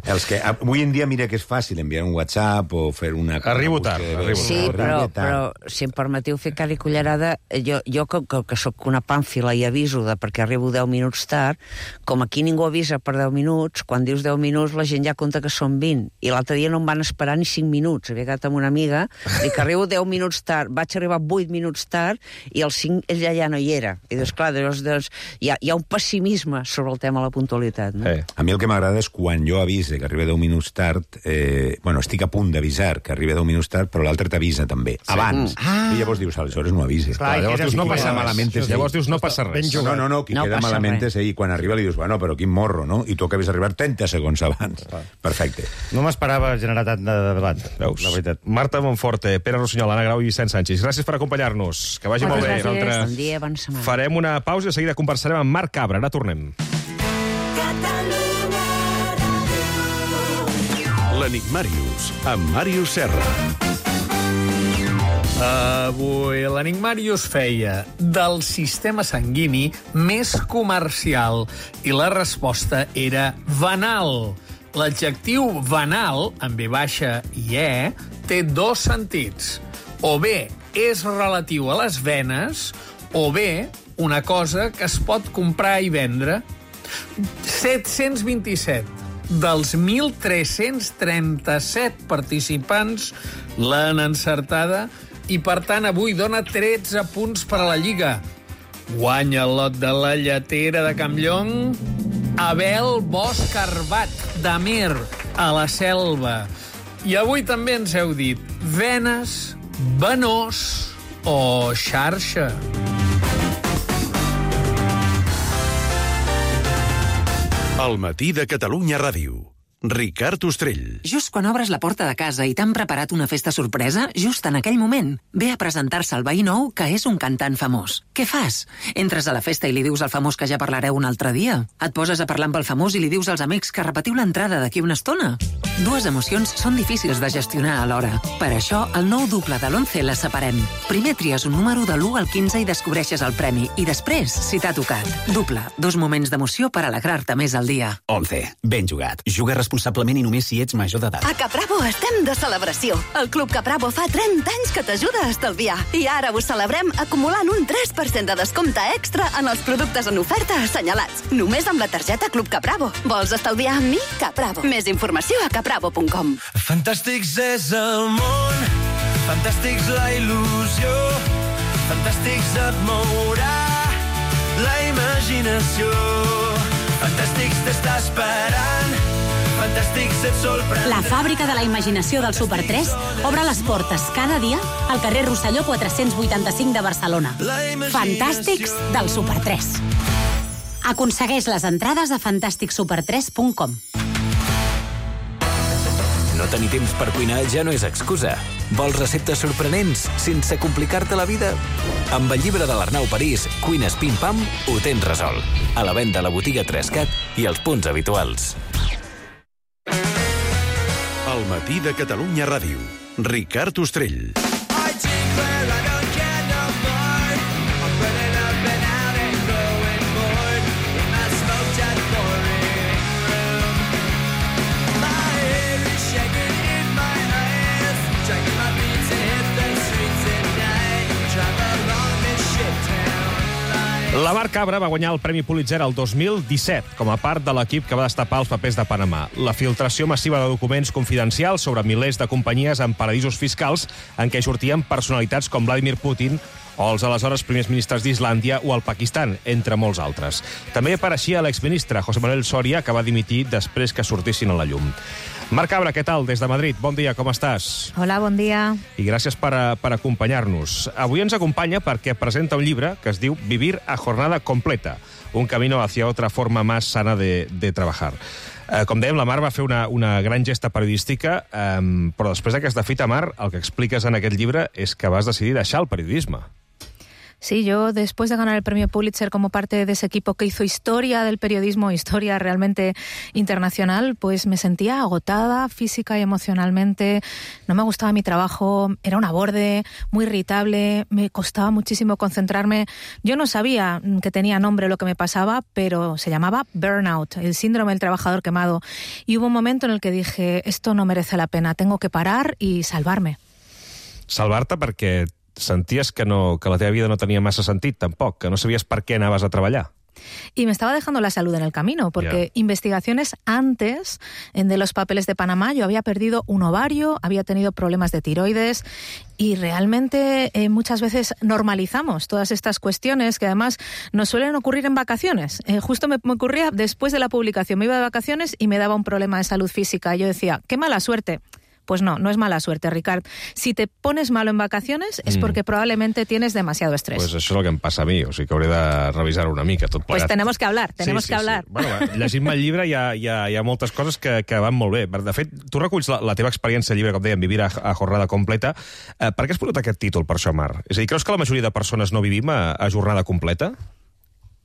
Els que avui en dia, mira que és fàcil enviar un WhatsApp o fer una... Arribo tard. Sí, però si em permetiu fer cada cullerada, jo que sóc una pàmfila i aviso perquè arribo 10 minuts tard, com aquí ningú avisa per 10 minuts, quan dius 10 minuts la gent ja compta que són 20. I l'altre dia no em van esperar ni 5 minuts. Havia quedat amb una amiga, dic que arribo 10 minuts tard, vaig arribar 8 minuts tard i els 5 ella ja no hi era. I doncs, clar, hi ha un pessimisme sobre el tema de la puntualitat. No? A mi el que m'agrada és quan jo avise que arriba 10 minuts tard, estic a punt d'avisar que arriba 10 minuts tard, però l'altre t'avisa també, abans. I llavors dius, aleshores no avises. Llavors dius, no passa malament. Llavors dius, no passa res. No, qui queda malament és ell. Quan arriba li dius, bueno, però quin morro, no? I tu acabes d'arribar 30 segons abans. Perfecte. No m'esperava generar tant de debat, veus? La veritat. Marta Monforte, Pere Rossinyol, Anna Grau i Vicent Sánchez. Gràcies per acompanyar-nos. Que vagi molt bé. Bon dia, bona setmana. Farem una pausa i de seguida conversarem amb Marc Cabra. Ara tornem. L'Enigmàrius, amb Màrius Serra. Avui l'Enigmàrius feia del sistema sanguini més comercial i la resposta era venal. L'adjectiu venal, amb V baixa i E, té 2 sentits. O bé és relatiu a les venes, o bé una cosa que es pot comprar i vendre. 727 dels 1.337 participants l'han encertada i, per tant, avui dona 13 punts per a la Lliga. Guanya el lot de la lletera de Campllong Abel Bosch Arbat, d'Amer, a la Selva. I avui també ens heu dit venes, venós o xarxa. Al matí de Catalunya Ràdio. Ricard Ostrell. Just quan obres la porta de casa i t'han preparat una festa sorpresa, just en aquell moment, ve a presentar-se el veí nou que és un cantant famós. Què fas? Entres a la festa i li dius al famós que ja parlareu un altre dia? Et poses a parlar amb el famós i li dius als amics que repetiu l'entrada d'aquí una estona? 2 emocions són difícils de gestionar alhora. Per això, el nou duple de l'11 les separem. Primer tries un número de l'1 al 15 i descobreixes el premi. I després, si t'ha tocat. Duple, 2 moments d'emoció per alegrar-te més al dia. 11. Ben jugat. Juga responsablement i només si ets major d'edat. A Capravo estem de celebració. El Club Capravo fa 30 anys que t'ajuda a estalviar. I ara ho celebrem acumulant un 3% de descompte extra en els productes en oferta assenyalats. Només amb la targeta Club Capravo. Vols estalviar amb mi? Capravo. Més informació a capravo.com. Fantàstics és el món, fantàstics la il·lusió, fantàstics et mourà la imaginació. Fantàstics t'està esperant, fantàstics et sorprendrà. La fàbrica de la imaginació del Super 3 obre les portes cada dia al carrer Rosselló 485 de Barcelona. Fantàstics del Super 3. Aconsegueix les entrades a fantàsticsuper3.com. No tenir temps per cuinar ja no és excusa. Vols receptes sorprenents sense complicar-te la vida? Amb el llibre de l'Arnau París, Cuines Pim Pam, ho tens resolt. A la venda a la botiga 3CAT i als punts habituals. Al matí de Catalunya Ràdio. Ricard Ostrell. La Mar Cabra va guanyar el Premi Pulitzer el 2017 com a part de l'equip que va destapar els papers de Panamà. La filtració massiva de documents confidencials sobre milers de companyies en paradisos fiscals en què sortien personalitats com Vladimir Putin o els aleshores primers ministres d'Islàndia o el Pakistan, entre molts altres. També apareixia l'exministre José Manuel Soria, que va dimitir després que sortissin a la llum. Mar Cabra, què tal? Des de Madrid. Bon dia, com estàs? Hola, bon dia. I gràcies per acompanyar-nos. Avui ens acompanya perquè presenta un llibre que es diu Vivir a jornada completa, un camino hacia otra forma más sana de trabajar. Com dèiem, la Mar va fer una gran gesta periodística, però després d'aquesta fita, Mar, el que expliques en aquest llibre és que vas decidir deixar el periodisme. Sí, yo después de ganar el premio Pulitzer como parte de ese equipo que hizo historia del periodismo, historia realmente internacional, pues me sentía agotada física y emocionalmente, no me gustaba mi trabajo, era una borde, muy irritable, me costaba muchísimo concentrarme. Yo no sabía que tenía nombre lo que me pasaba, pero se llamaba burnout, el síndrome del trabajador quemado. Y hubo un momento en el que dije, esto no merece la pena, tengo que parar y salvarme. Salvar-te perquè senties que la teva vida no tenia massa sentit, tampoc, que no sabies per què anaves a treballar. Y me estaba dejando la salud en el camino, porque investigaciones antes de los papeles de Panamá, yo había perdido un ovario, había tenido problemas de tiroides y realmente muchas veces normalizamos todas estas cuestiones que además nos suelen ocurrir en vacaciones. Justo me ocurría después de la publicación, me iba de vacaciones y me daba un problema de salud física. Yo decía, qué mala suerte. Pues no es mala suerte, Ricard. Si te pones malo en vacaciones es porque probablemente tienes demasiado estrés. Pues això és el que em passa a mi, o sigui que hauré de revisar una mica tot plegat. Pues tenemos que hablar, tenemos que hablar. Sí. Bueno, llegint-me el llibre hi ha moltes coses que van molt bé. De fet, tu reculls la teva experiència al llibre, com dèiem, Vivir a jornada completa. Per què has posat aquest títol, per això, Mar? És a dir, creus que la majoria de persones no vivim a jornada completa?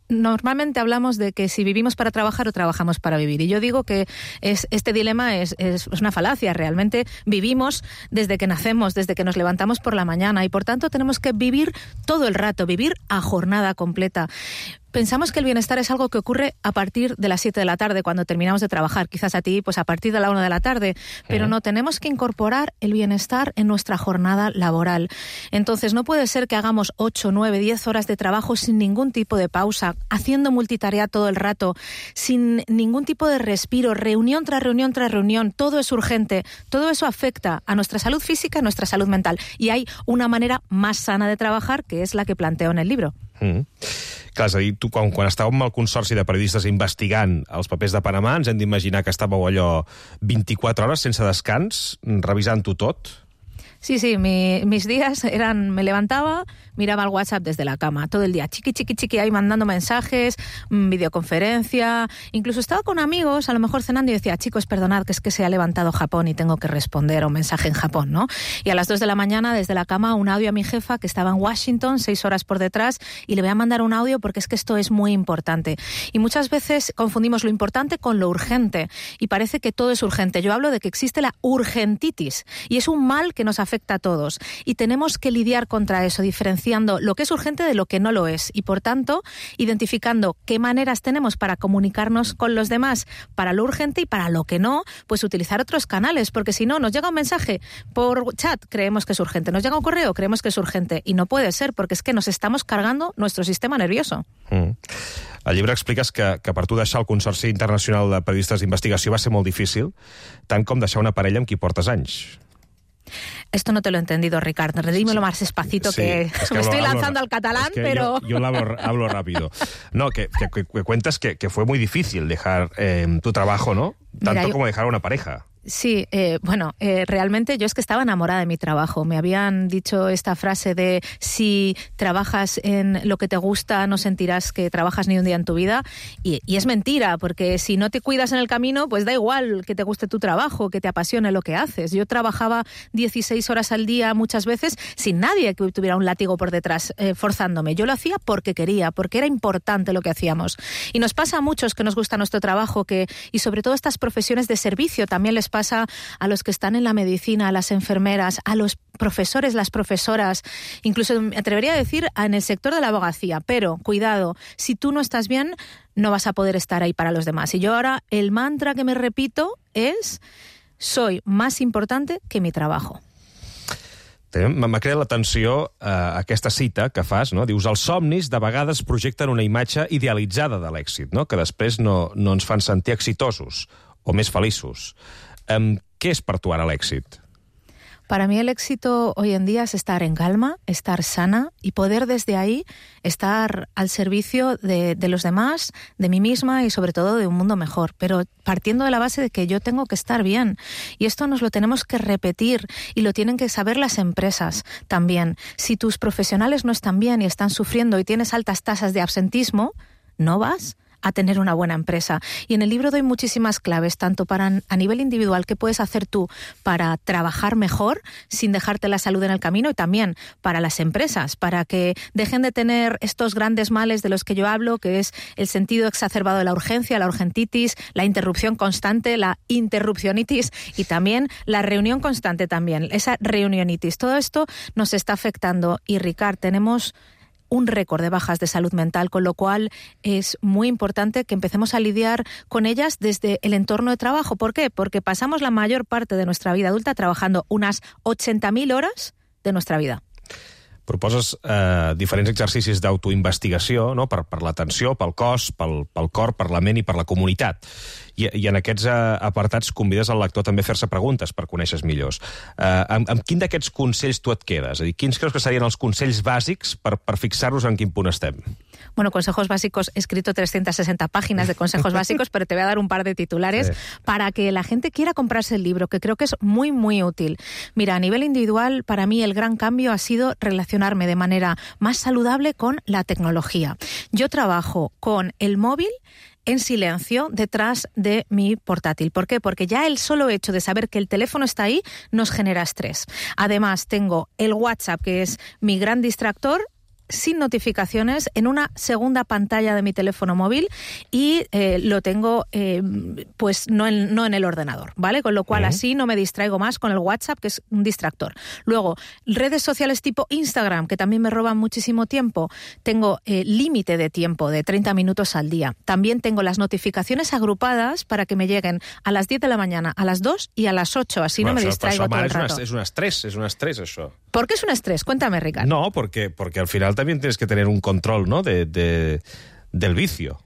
Normalmente hablamos de que si vivimos para trabajar o trabajamos para vivir. Y yo digo que este dilema es una falacia. Realmente vivimos desde que nacemos, desde que nos levantamos por la mañana y por tanto tenemos que vivir todo el rato, vivir a jornada completa. Pensamos que el bienestar es algo que ocurre a partir de las 7 de la tarde, cuando terminamos de trabajar. Quizás a ti, pues a partir de la 1 de la tarde. Pero no, tenemos que incorporar el bienestar en nuestra jornada laboral. Entonces, no puede ser que hagamos 8, 9, 10 horas de trabajo sin ningún tipo de pausa, haciendo multitarea todo el rato, sin ningún tipo de respiro, reunión tras reunión tras reunión. Todo es urgente. Todo eso afecta a nuestra salud física y a nuestra salud mental. Y hay una manera más sana de trabajar, que es la que planteo en el libro. Clar, és a dir, tu quan estàveu amb el consorci de periodistes investigant els papers de Panamà, ens hem d'imaginar que estàveu allò 24 hores sense descans, revisant-ho tot? Sí, mis días eran, me levantaba, miraba el WhatsApp desde la cama, todo el día, chiqui, ahí mandando mensajes, videoconferencia, incluso estaba con amigos, a lo mejor cenando y decía, chicos, perdonad, que es que se ha levantado Japón y tengo que responder a un mensaje en Japón, ¿no? Y a las 2 de la mañana, desde la cama, un audio a mi jefa que estaba en Washington, 6 horas por detrás, y le voy a mandar un audio porque es que esto es muy importante. Y muchas veces confundimos lo importante con lo urgente, y parece que todo es urgente. Yo hablo de que existe la urgentitis, y es un mal que nos afecta a todos y tenemos que lidiar contra eso, diferenciando lo que es urgente de lo que no lo es y por tanto identificando qué maneras tenemos para comunicarnos con los demás para lo urgente y para lo que no, pues utilizar otros canales, porque si no nos llega un mensaje por chat, creemos que es urgente, nos llega un correo, creemos que es urgente y no puede ser porque es que nos estamos cargando nuestro sistema nervioso. Al llibre expliques que per tu deixar el Consorci Internacional de Periodistes d'Investigació va ser molt difícil, tant com deixar una parella amb qui portes anys. Esto no te lo he entendido, Ricardo. Dímelo más despacito, sí, que me estoy lanzando al catalán, pero... Yo hablo rápido. No, que cuentas que fue muy difícil dejar tu trabajo, ¿no? Tanto como dejar a una pareja. Sí, realmente yo es que estaba enamorada de mi trabajo. Me habían dicho esta frase de si trabajas en lo que te gusta no sentirás que trabajas ni un día en tu vida y es mentira, porque si no te cuidas en el camino, pues da igual que te guste tu trabajo, que te apasione lo que haces. Yo trabajaba 16 horas al día muchas veces sin nadie que tuviera un látigo por detrás forzándome. Yo lo hacía porque quería, porque era importante lo que hacíamos. Y nos pasa a muchos que nos gusta nuestro trabajo, y sobre todo estas profesiones de servicio también les pasa a los que están en la medicina, a las enfermeras, a los profesores, las profesoras, incluso me atrevería a decir en el sector de la abogacía. Pero, cuidado, si tú no estás bien, no vas a poder estar ahí para los demás. Y yo ahora el mantra que me repito es: soy más importante que mi trabajo. M'ha creat l'atenció aquesta cita que fas, no? Dius, els somnis de vegades projecten una imatge idealitzada de l'èxit, no? Que després no ens fan sentir exitosos o més feliços. ¿Qué es para tu ahora el éxito? Para mí el éxito hoy en día es estar en calma, estar sana y poder desde ahí estar al servicio de los demás, de mí misma y sobre todo de un mundo mejor. Pero partiendo de la base de que yo tengo que estar bien. Y esto nos lo tenemos que repetir y lo tienen que saber las empresas también. Si tus profesionales no están bien y están sufriendo y tienes altas tasas de absentismo, no vas a tener una buena empresa. Y en el libro doy muchísimas claves, tanto para a nivel individual, qué puedes hacer tú para trabajar mejor sin dejarte la salud en el camino, y también para las empresas, para que dejen de tener estos grandes males de los que yo hablo, que es el sentido exacerbado de la urgencia, la urgentitis, la interrupción constante, la interrupcionitis y también la reunión constante también, esa reunionitis. Todo esto nos está afectando y, Ricard, tenemos un récord de bajas de salud mental, con lo cual es muy importante que empecemos a lidiar con ellas desde el entorno de trabajo. ¿Por qué? Porque pasamos la mayor parte de nuestra vida adulta trabajando unas 80.000 horas de nuestra vida. Proposes diferents exercicis d'autoinvestigació, no? per l'atenció, pel cos, pel cor, per la ment i per la comunitat. I en aquests apartats convides al lector també a fer-se preguntes per conèixer millors. Amb quin d'aquests consells tu et quedes? És a dir, quins creus que serien els consells bàsics per fixar-nos en quin punt estem? Bueno, consejos básicos, he escrito 360 páginas de consejos básicos, pero te voy a dar un par de titulares para que la gente quiera comprarse el libro, que creo que es muy, muy útil. Mira, a nivel individual, para mí el gran cambio ha sido relacionarme de manera más saludable con la tecnología. Yo trabajo con el móvil en silencio detrás de mi portátil. ¿Por qué? Porque ya el solo hecho de saber que el teléfono está ahí nos genera estrés. Además, tengo el WhatsApp, que es mi gran distractor, sin notificaciones, en una segunda pantalla de mi teléfono móvil, y lo tengo pues no en el ordenador, ¿vale? Con lo cual así no me distraigo más con el WhatsApp, que es un distractor. Luego, redes sociales tipo Instagram, que también me roban muchísimo tiempo. Tengo límite de tiempo de 30 minutos al día. También tengo las notificaciones agrupadas para que me lleguen a las 10 de la mañana, a las 2 y a las 8, así no me distraigo todo el rato. És un estrès, això. ¿Por qué es un estrés? Cuéntame, Ricardo. No, porque al final también tienes que tener un control, ¿no? del vicio.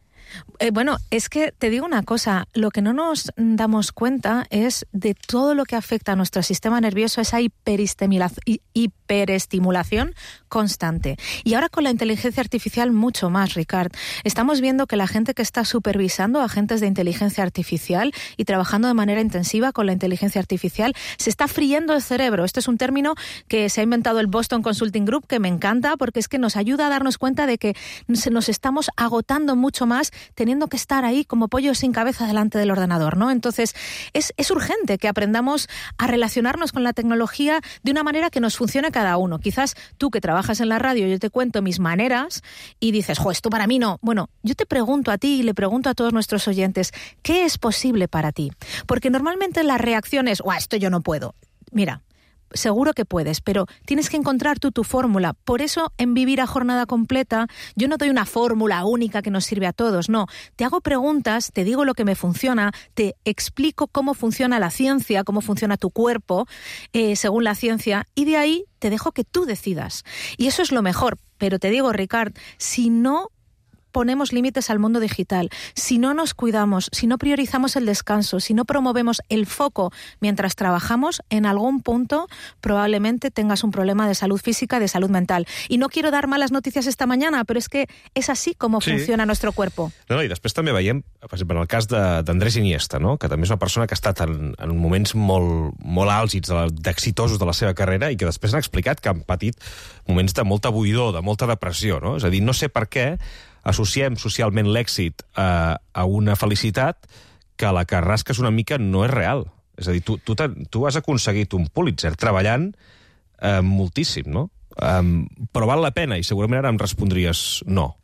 Bueno, es que te digo una cosa, lo que no nos damos cuenta es de todo lo que afecta a nuestro sistema nervioso, esa hiperestimulación constante. Y ahora con la inteligencia artificial mucho más, Ricard. Estamos viendo que la gente que está supervisando agentes de inteligencia artificial y trabajando de manera intensiva con la inteligencia artificial se está friendo el cerebro. Este es un término que se ha inventado el Boston Consulting Group, que me encanta porque es que nos ayuda a darnos cuenta de que nos estamos agotando mucho más teniendo que estar ahí como pollos sin cabeza delante del ordenador, ¿no? Entonces, es urgente que aprendamos a relacionarnos con la tecnología de una manera que nos funcione a cada uno. Quizás tú, que trabajas en la radio, yo te cuento mis maneras y dices, jo, esto para mí no. Bueno, yo te pregunto a ti y le pregunto a todos nuestros oyentes, ¿qué es posible para ti? Porque normalmente la reacción es, esto yo no puedo. Mira, seguro que puedes, pero tienes que encontrar tú tu fórmula. Por eso, en Vivir a Jornada Completa, yo no doy una fórmula única que nos sirve a todos, no. Te hago preguntas, te digo lo que me funciona, te explico cómo funciona la ciencia, cómo funciona tu cuerpo, según la ciencia, y de ahí te dejo que tú decidas. Y eso es lo mejor. Pero te digo, Ricard, si no ponemos límites al mundo digital, si no nos cuidamos, si no priorizamos el descanso, si no promovemos el foco mientras trabajamos, en algún punto probablemente tengas un problema de salud física, de salud mental. I no quiero dar malas noticias esta mañana, però és que és així com funciona nuestro cuerpo. No, i després també veiem, per exemple, en el cas d'Andrés Iniesta, no? Que també és una persona que ha estat en moments molt àlgids, d'exitosos de la seva carrera, i que després han explicat que han patit moments de molta buidor, de molta depressió, no? És a dir, no sé per què associem socialment l'èxit a una felicitat que la que rasques una mica no és real. És a dir, tu has aconseguit un Pulitzer treballant moltíssim, no? Però val la pena, i segurament ara em respondries no.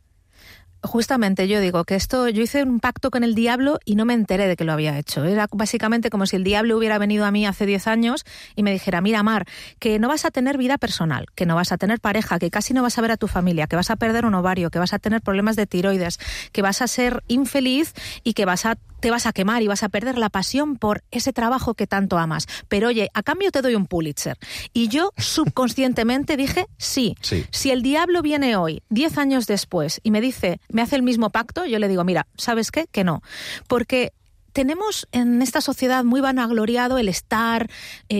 Justamente yo digo que yo hice un pacto con el diablo y no me enteré de que lo había hecho. Era básicamente como si el diablo hubiera venido a mí hace 10 años y me dijera, mira, Mar, que no vas a tener vida personal, que no vas a tener pareja, que casi no vas a ver a tu familia, que vas a perder un ovario, que vas a tener problemas de tiroides, que vas a ser infeliz y que vas a te vas a quemar y vas a perder la pasión por ese trabajo que tanto amas. Pero oye, a cambio te doy un Pulitzer. Y yo subconscientemente dije sí. Si el diablo viene hoy, 10 años después, y me dice, me hace el mismo pacto, yo le digo, mira, ¿sabes qué? Que no. Porque tenemos en esta sociedad muy vanagloriado el estar,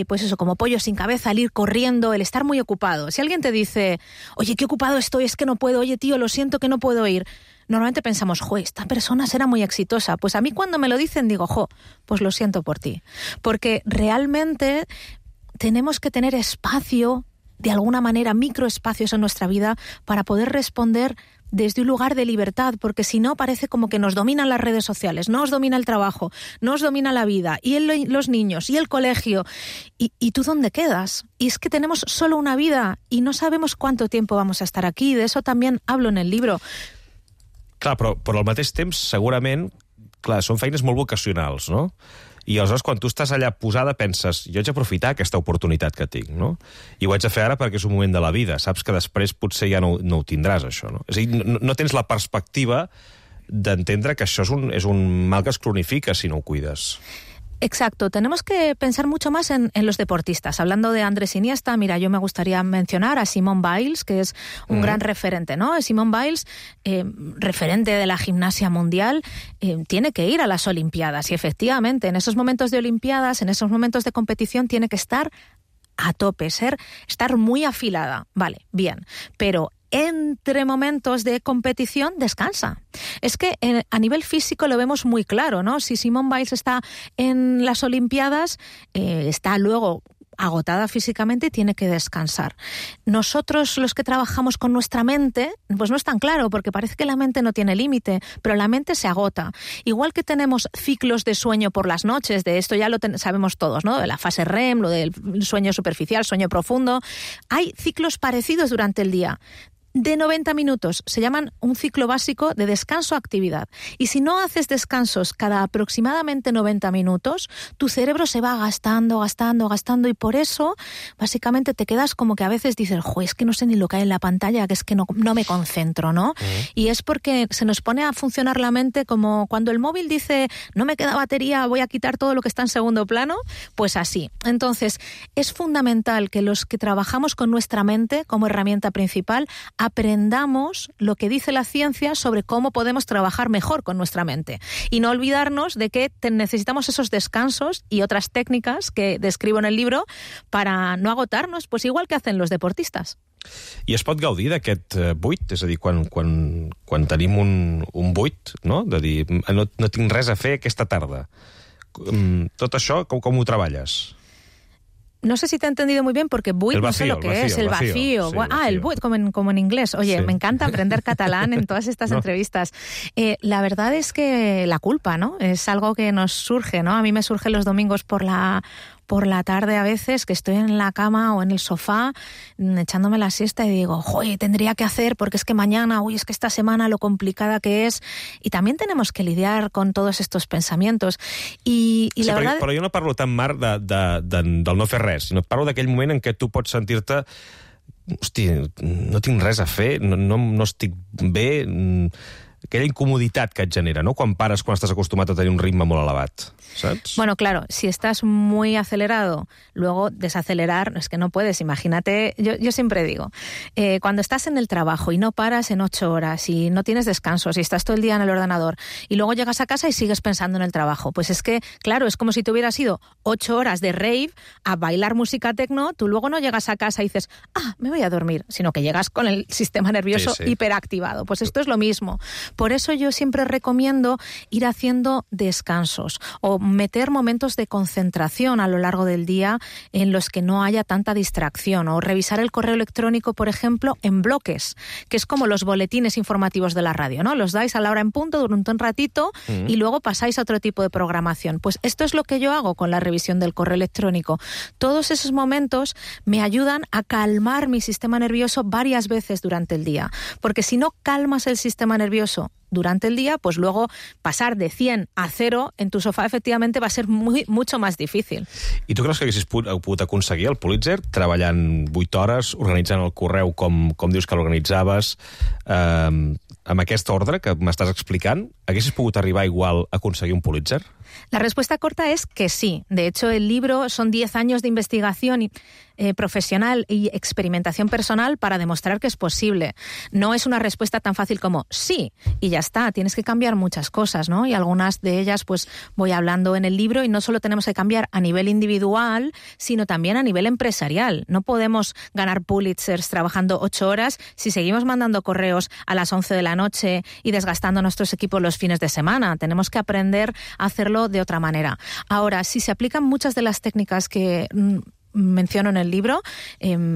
pues eso, como pollo sin cabeza, el ir corriendo, el estar muy ocupado. Si alguien te dice, oye, qué ocupado estoy, es que no puedo, oye, tío, lo siento que no puedo ir, normalmente pensamos, esta persona será muy exitosa. Pues a mí cuando me lo dicen digo, pues lo siento por ti. Porque realmente tenemos que tener espacio, de alguna manera, microespacios en nuestra vida para poder responder desde un lugar de libertad, porque si no parece como que nos dominan las redes sociales, nos domina el trabajo, nos domina la vida, y los niños, y el colegio. ¿Y tú dónde quedas? Y es que tenemos solo una vida y no sabemos cuánto tiempo vamos a estar aquí. De eso también hablo en el libro. Clar, però al mateix temps, segurament, clar, són feines molt vocacionals, no? I aleshores, quan tu estàs allà posada, penses, jo haig d'aprofitar aquesta oportunitat que tinc, no? I ho haig de fer ara perquè és un moment de la vida. Saps que després potser ja no ho tindràs, això, no? És a dir, no tens la perspectiva d'entendre que això és un mal que es cronifica si no ho cuides. Exacto, tenemos que pensar mucho más en los deportistas. Hablando de Andrés Iniesta, mira, yo me gustaría mencionar a Simone Biles, que es un gran referente, ¿no? Simone Biles, referente de la gimnasia mundial, tiene que ir a las Olimpiadas y efectivamente en esos momentos de Olimpiadas, en esos momentos de competición, tiene que estar a tope, estar muy afilada. Vale, bien, pero entre momentos de competición descansa. Es que a nivel físico lo vemos muy claro, ¿no? Si Simone Biles está en las Olimpiadas, está luego agotada físicamente y tiene que descansar. Nosotros, los que trabajamos con nuestra mente, pues no es tan claro, porque parece que la mente no tiene límite, pero la mente se agota. Igual que tenemos ciclos de sueño por las noches, de esto ya lo sabemos todos, ¿no? De la fase REM, lo del sueño superficial, sueño profundo. Hay ciclos parecidos durante el día. De 90 minutos, se llaman un ciclo básico de descanso-actividad. Y si no haces descansos cada aproximadamente 90 minutos, tu cerebro se va gastando, y por eso, básicamente, te quedas como que a veces dices, es que no sé ni lo que hay en la pantalla, que es que no me concentro, ¿no? Y es porque se nos pone a funcionar la mente como cuando el móvil dice, no me queda batería, voy a quitar todo lo que está en segundo plano, pues así. Entonces, es fundamental que los que trabajamos con nuestra mente como herramienta principal, aprendamos lo que dice la ciencia sobre cómo podemos trabajar mejor con nuestra mente. Y no olvidarnos de que necesitamos esos descansos y otras técnicas que describo en el libro para no agotarnos, pues igual que hacen los deportistas. I es pot gaudir d'aquest buit? És a dir, quan tenim un buit, no? De dir, no tinc res a fer aquesta tarda. Tot això, com ho treballes? No sé si te he entendido muy bien, porque buit no sé lo que es, el vacío. Sí, el buit, como en inglés. Oye, me encanta aprender catalán en todas estas entrevistas. La verdad es que la culpa, ¿no? Es algo que nos surge, ¿no? A mí me surge los domingos por la tarde a veces, que estoy en la cama o en el sofá echándome la siesta y digo, tendría que hacer porque es que mañana, es que esta semana lo complicada que es. Y también tenemos que lidiar con todos estos pensamientos. I sí, la verdad... Però jo no parlo tan, Marc, del no fer res, sinó parlo d'aquell moment en què tu pots sentir-te hosti, no tinc res a fer, no estic bé, aquella incomoditat que et genera, ¿no? Quan estàs acostumat a tenir un ritme molt elevat, ¿sabes? Bueno, claro, si estás muy acelerado, luego desacelerar, es que no puedes, imagínate, yo siempre digo, cuando estás en el trabajo y no paras en 8 horas y no tienes descansos y estás todo el día en el ordenador y luego llegas a casa y sigues pensando en el trabajo, pues es que, claro, es como si te hubieras ido 8 horas de rave a bailar música techno, tú luego no llegas a casa y dices, me voy a dormir, sino que llegas con el sistema nervioso hiperactivado. Pues esto es lo mismo. Por eso yo siempre recomiendo ir haciendo descansos o meter momentos de concentración a lo largo del día en los que no haya tanta distracción, o revisar el correo electrónico, por ejemplo, en bloques, que es como los boletines informativos de la radio, ¿no? Los dais a la hora en punto durante un ratito y luego pasáis a otro tipo de programación. Pues esto es lo que yo hago con la revisión del correo electrónico. Todos esos momentos me ayudan a calmar mi sistema nervioso varias veces durante el día, porque si no calmas el sistema nervioso durante el día, pues luego pasar de 100 a 0 en tu sofà efectivamente va a ser mucho más difícil. I tu creus que haguessis pogut aconseguir el Pulitzer treballant 8 hores, organitzant el correu com dius que l'organitzaves, amb aquest ordre que m'estàs explicant, haguessis pogut arribar igual a aconseguir un Pulitzer? La respuesta corta es que sí. De hecho, el libro son 10 años de investigación profesional y experimentación personal para demostrar que es posible. No es una respuesta tan fácil como sí, y ya está. Tienes que cambiar muchas cosas, ¿no? Y algunas de ellas pues voy hablando en el libro, y no solo tenemos que cambiar a nivel individual, sino también a nivel empresarial. No podemos ganar Pulitzers trabajando 8 horas si seguimos mandando correos a las 11 de la noche y desgastando nuestros equipos los fines de semana. Tenemos que aprender a hacerlo de otra manera. Ahora, si se aplican muchas de las técnicas que menciono en el libro,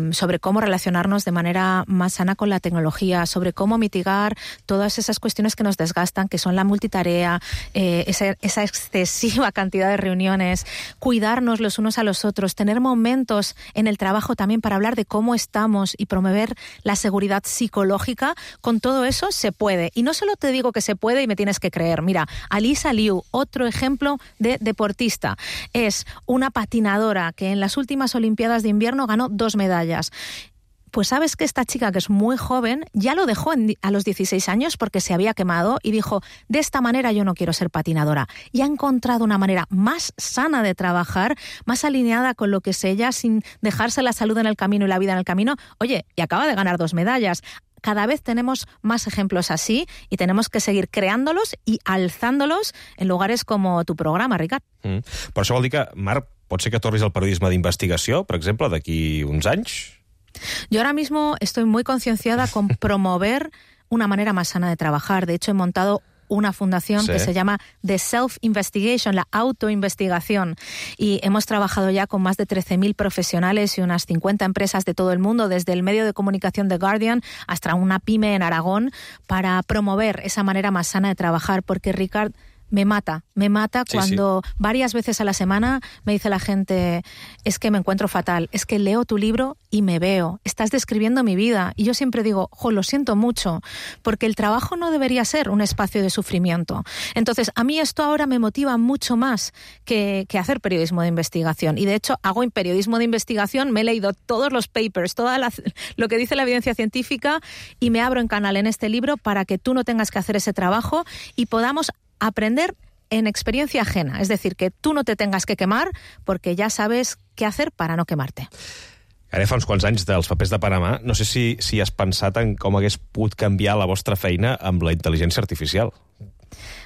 sobre cómo relacionarnos de manera más sana con la tecnología, sobre cómo mitigar todas esas cuestiones que nos desgastan, que son la multitarea, esa excesiva cantidad de reuniones, cuidarnos los unos a los otros, tener momentos en el trabajo también para hablar de cómo estamos y promover la seguridad psicológica. Con todo eso se puede. Y no solo te digo que se puede y me tienes que creer. Mira, Alisa Liu, otro ejemplo de deportista, es una patinadora que en las últimas Olimpiadas de invierno ganó 2 medallas. Pues sabes que esta chica, que es muy joven, ya lo dejó a los 16 años porque se había quemado y dijo, de esta manera yo no quiero ser patinadora. Y ha encontrado una manera más sana de trabajar, más alineada con lo que es ella, sin dejarse la salud en el camino y la vida en el camino. Oye, y acaba de ganar 2 medallas. Cada vez tenemos más ejemplos así y tenemos que seguir creándolos y alzándolos en lugares como tu programa, Ricard. Per això vol dir que, Marc, pot ser que tornis al periodisme d'investigació, per exemple, d'aquí uns anys? Yo ahora mismo estoy muy concienciada con promover una manera más sana de trabajar. De hecho, he montado una fundación que se llama The Self-Investigation, la autoinvestigación. Y hemos trabajado ya con más de 13.000 profesionales y unas 50 empresas de todo el mundo, desde el medio de comunicación The Guardian hasta una pyme en Aragón, para promover esa manera más sana de trabajar. Porque, Ricard, me mata cuando varias veces a la semana me dice la gente, es que me encuentro fatal, es que leo tu libro y me veo, estás describiendo mi vida. Y yo siempre digo, lo siento mucho, porque el trabajo no debería ser un espacio de sufrimiento. Entonces, a mí esto ahora me motiva mucho más que hacer periodismo de investigación. Y de hecho, hago periodismo de investigación, me he leído todos los papers, lo que dice la evidencia científica, y me abro en canal en este libro para que tú no tengas que hacer ese trabajo y podamos aprender en experiencia ajena. Es decir, que tú no te tengas que quemar porque ya sabes qué hacer para no quemarte. Ara fa uns quants anys dels papers de Panamà, no sé si has pensat en com hagués pogut canviar la vostra feina amb la intel·ligència artificial.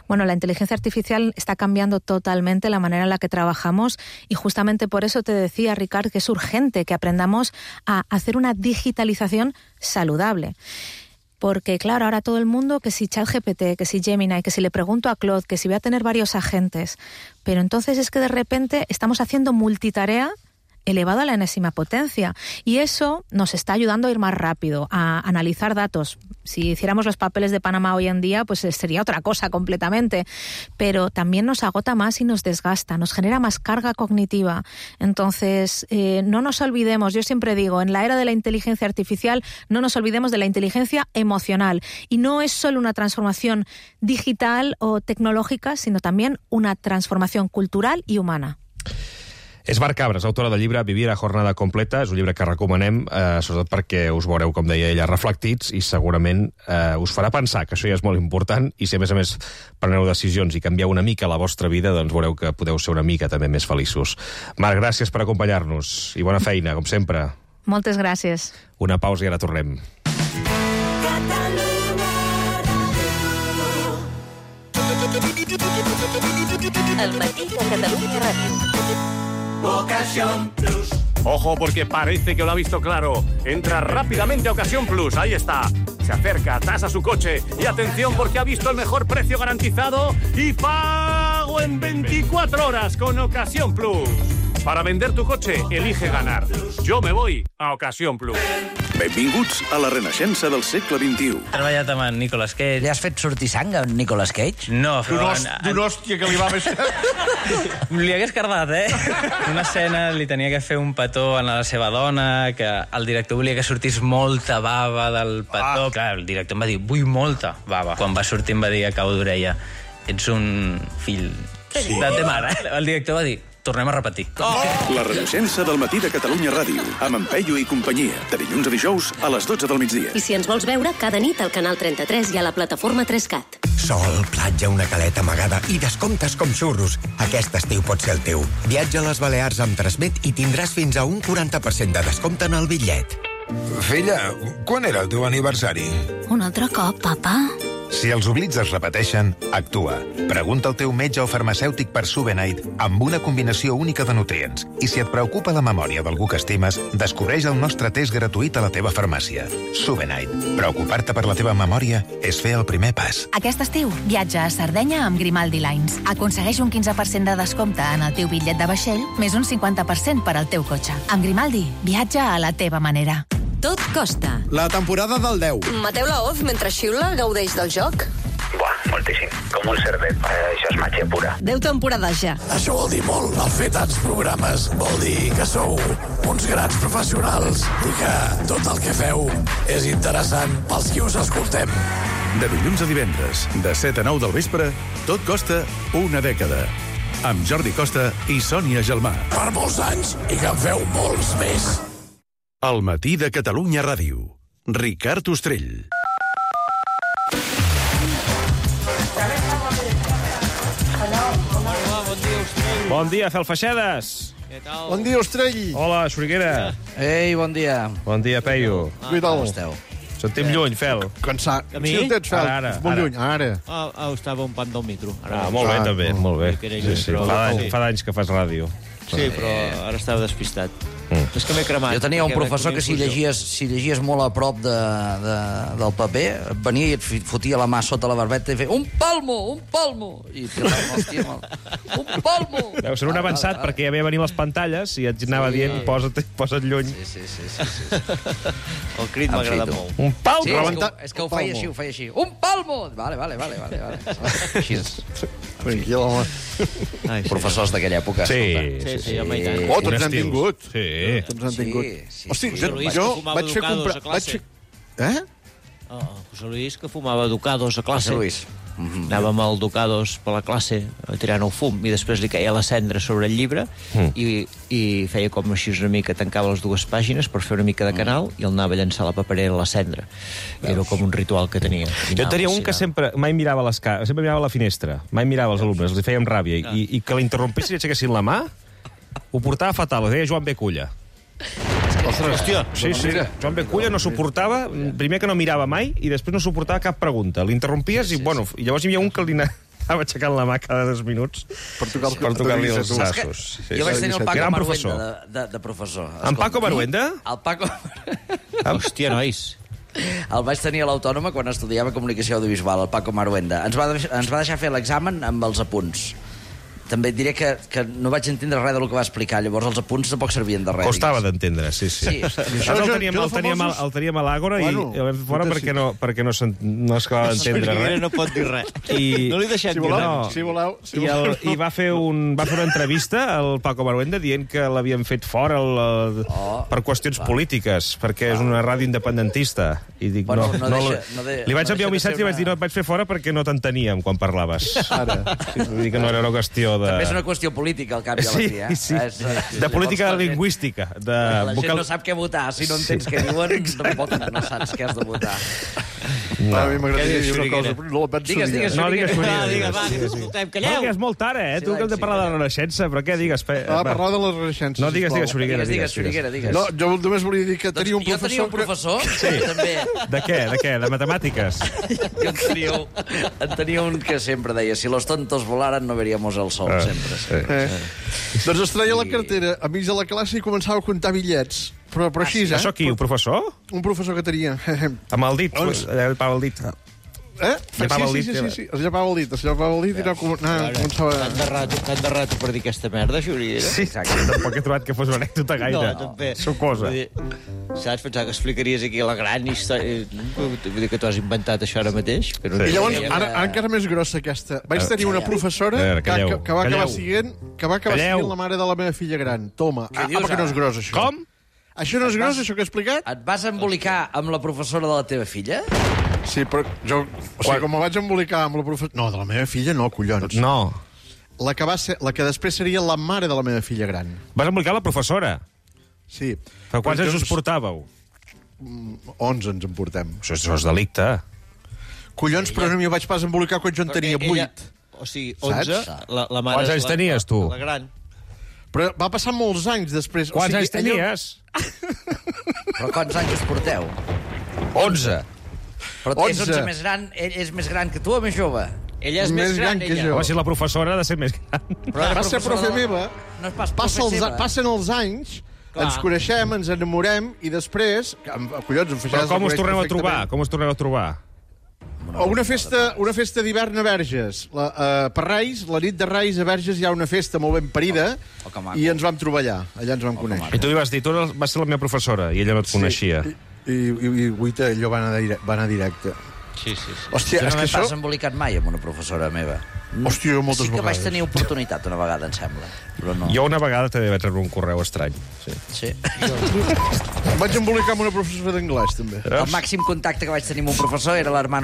Bueno, la inteligencia artificial está cambiando totalmente la manera en la que trabajamos, y justamente por eso te decía, Ricard, que es urgente que aprendamos a hacer una digitalización saludable. Porque, claro, ahora todo el mundo, que si ChatGPT, que si Gemini, que si le pregunto a Claude, que si voy a tener varios agentes. Pero entonces es que de repente estamos haciendo multitarea elevado a la enésima potencia. Y eso nos está ayudando a ir más rápido, a analizar datos. Si hiciéramos los papeles de Panamá hoy en día, pues sería otra cosa completamente. Pero también nos agota más y nos desgasta, nos genera más carga cognitiva. Entonces, no nos olvidemos, yo siempre digo, en la era de la inteligencia artificial, no nos olvidemos de la inteligencia emocional. Y no es solo una transformación digital o tecnológica, sino también una transformación cultural y humana. És Mar Cabres, autora del llibre Vivir a jornada completa. És un llibre que recomanem, sobretot perquè us veureu, com deia ella, reflectits, i segurament us farà pensar, que això ja és molt important, i si a més preneu decisions i canvieu una mica la vostra vida, doncs veureu que podeu ser una mica també més feliços. Marc, gràcies per acompanyar-nos, i bona feina, com sempre. Moltes gràcies. Una pausa i ara tornem. El matí de Catalunya Ràdio. Ocasión Plus. Ojo, porque parece que lo ha visto claro. Entra rápidamente a Ocasión Plus, ahí está. Se acerca, tasa su coche y atención porque ha visto el mejor precio garantizado y pago en 24 horas con Ocasión Plus. Para vender tu coche, elige ganar. Yo me voy a Ocasión Plus. Benvinguts a la renaixença del segle XXI. He treballat amb en Nicolas Cage. Li has fet sortir sang a en Nicolas Cage? No, però... D'una hòstia que li va més... Li hagués cardat, Una escena li tenia que fer un petó a la seva dona, que el director volia que sortís molta bava del petó. Clar, el director em va dir, vull molta bava. Quan va sortir em va dir a cau d'orella, ets un fill de ta mare. El director va dir, tornem a repetir. La renaixença del matí de Catalunya Ràdio, amb en Peyu i companyia, de dilluns a dijous a les 12 del migdia. I si ens vols veure, cada nit al Canal 33 i a la plataforma 3CAT. Sol, platja, una caleta amagada i descomptes com xurros. Aquest estiu pot ser el teu. Viatja a les Balears amb Transmet i tindràs fins a un 40% de descompte en el bitllet. Filla, quan era el teu aniversari? Un altre cop, papa? Si els oblits es repeteixen, actua. Pregunta al teu metge o farmacèutic per Subenite amb una combinació única de nutrients. I si et preocupa la memòria d'algú que estimes, descobreix el nostre test gratuït a la teva farmàcia. Subenite. Preocupar-te per la teva memòria és fer el primer pas. Aquest estiu, viatja a Sardenya amb Grimaldi Lines. Aconsegueix un 15% de descompte en el teu bitllet de vaixell, més un 50% per al teu cotxe. Amb Grimaldi, viatja a la teva manera. Tot costa. La temporada del 10. Mateu Laoz, mentre xiula, gaudeix del joc? Buah, moltíssim. Com un cerdet. Això és màgia pura. 10 temporades ja. Això vol dir molt. El fer tants programes vol dir que sou uns grans professionals i que tot el que feu és interessant pels qui us escoltem. De dilluns a divendres, de 7 a 9 del vespre, Tot costa una dècada. Amb Jordi Costa i Sònia Gelmà. Per molts anys i que en feu molts més. El matí de Catalunya Ràdio. Ricard Ostrell. Bon dia, Felfaixedes. Bon dia, Ostrell. Hola, Xuriguera. Ei, bon dia. Bon dia, Peyu. Com esteu? Sentim lluny, Fel. Cansat. A mi? Sí, el tens, Fel. Ara. Molt lluny, ara. Estava un pan del micro. Molt bé, també, molt bé. Sí. Fa d'anys que fas ràdio. Sí, però ara estava despistat. És que m'he cremat. Jo tenia un professor que si llegies molt a prop del paper, venia i et fotia la mà sota la barbeta i feia un palmo! I hòstia, un palmo! Deu ser un avançat, perquè ja ve a venir les pantalles i et anava dient posa't lluny. Sí. El crit m'ha agradat molt. Un palmo! Sí, és que ho feia així. Un palmo! Vale. Així és. Professors d'aquella època. Sí, home, i tant. Tots n'han tingut. Sí. Tots n'han tingut. Hosti, jo vaig fer comprar... José Luis, que fumava Ducados a classe. José Luis. Anàvem al Ducados per la classe tirant el fum i després li caia la cendra sobre el llibre i feia com així una mica, tancava les dues pàgines per fer una mica de canal i el anava a llançar la paperera a la cendra. Era com un ritual que tenia. Jo tenia un que sempre mai mirava sempre mirava la finestra, mai mirava els alumnes, els feia amb ràbia i que l'interrompessin i aixequessin la mà ho portava fatal, ho deia Joan B. Culla. Hòstia. Sí. Joan B. Culla no suportava, primer que no mirava mai i després no suportava cap pregunta. L'interrompies i llavors hi havia un que li anava aixecant la mà cada 2 minuts per tocar-li els sassos. Jo vaig tenir el Paco Maruenda de professor. En Paco Maruenda? El Paco... Hòstia, nois. El vaig tenir a l'Autònoma quan estudiava comunicació audiovisual, el Paco Maruenda. Ens va deixar fer l'examen amb els apunts. També et diré que no vaig entendre res del que va explicar, llavors els apunts tampoc servien de res. Costava d'entendre, sí. El teníem a l'Àgora i el vam fer fora perquè no es acabava d'entendre res. No pot dir res. No li deixem dir res. Si voleu. I va fer una entrevista al Paco Maruenda dient que l'havien fet fora per qüestions polítiques, perquè és una ràdio independentista. I dic, li vaig enviar un missatge i vaig dir, no, et vaig fer fora perquè no t'enteníem quan parlaves. Ara. Vull dir que no era una qüestió també és una qüestió política, al cap i a la fi. Sí. De política lingüística. La gent no sap què votar. Si no entens què diuen, tampoc no saps què has de votar. A mi m'agradaria dir una cosa, però no la penso dir. Digues. Calleu. És molt tard, tu que hem de parlar de la Renaixença, però què digues? Parlar de la Renaixença. No, digues, Xuriguera. Digues. No, jo només volia dir que tenia un professor... Jo tenia un professor? Sí. També. De què? De matemàtiques? Jo en tenia un que sempre deia, si los tontos volaran no veríamos el sol. Sempre. Doncs es treia la cartera a mig de la classe i començava a comptar bitllets. Però així, Això qui? Un professor? Un professor que tenia. Amb el dit? Llepava el dit. Sí, es llepava el dit i començava... Tant de rato per dir aquesta merda, Xuriguera. Sí, tampoc he trobat que fos una anècdota gaire. No, també. Sucosa. Saps? Pensava que explicaries aquí la gran història... Vull dir que tu has inventat això ara mateix. I llavors, ara encara més grossa aquesta. Vaig tenir una professora que va acabar siguent la mare de la meva filla gran. Toma. Que no és gros, això. Com? Això no és gros, això que he explicat? Et vas embolicar amb la professora de la teva filla? Sí, però jo... O sigui, com me vaig embolicar amb la professora... No, de la meva filla no, collons. No. la que després seria la mare de la meva filla gran. Vas embolicar la professora? Sí. Però quants anys us portàveu? 11 ens en portem. Això és delicte. Collons, però no m'hi vaig pas embolicar quan jo en tenia 8. O sigui, 11, la mare... Quants anys tenies, tu? La gran. Però va passar molts anys després. Quants anys tenies? Però quants anys us porteu? 11. Però és 11 més gran, ell és més gran que tu o més jove? Ella és més gran que jo. Home, si la professora ha de ser més gran. Però va ser profe meva. No és pas profe seva. Passen els anys, ens coneixem, ens enamorem, i després... Collons, però com us torneu a trobar? Com us torneu a trobar? Una festa d'hivern a Verges. Per Reis, la nit de Reis a Verges hi ha una festa molt ben parida i ens vam trobar allà. Allà ens vam conèixer. I tu li vas dir, tu vas ser la meva professora, i ella no et coneixia. I Guita, allò va anar directe. Sí. Hòstia, jo no m'he pas embolicat mai amb una professora meva. Hòstia, jo moltes vegades. Sí que vaig tenir oportunitat una vegada, em sembla. Però no. Jo una vegada també vaig rebre un correu estrany. Sí. Vaig embolicar amb una professora d'anglès, també. El màxim contacte que vaig tenir amb un professor era l'hermano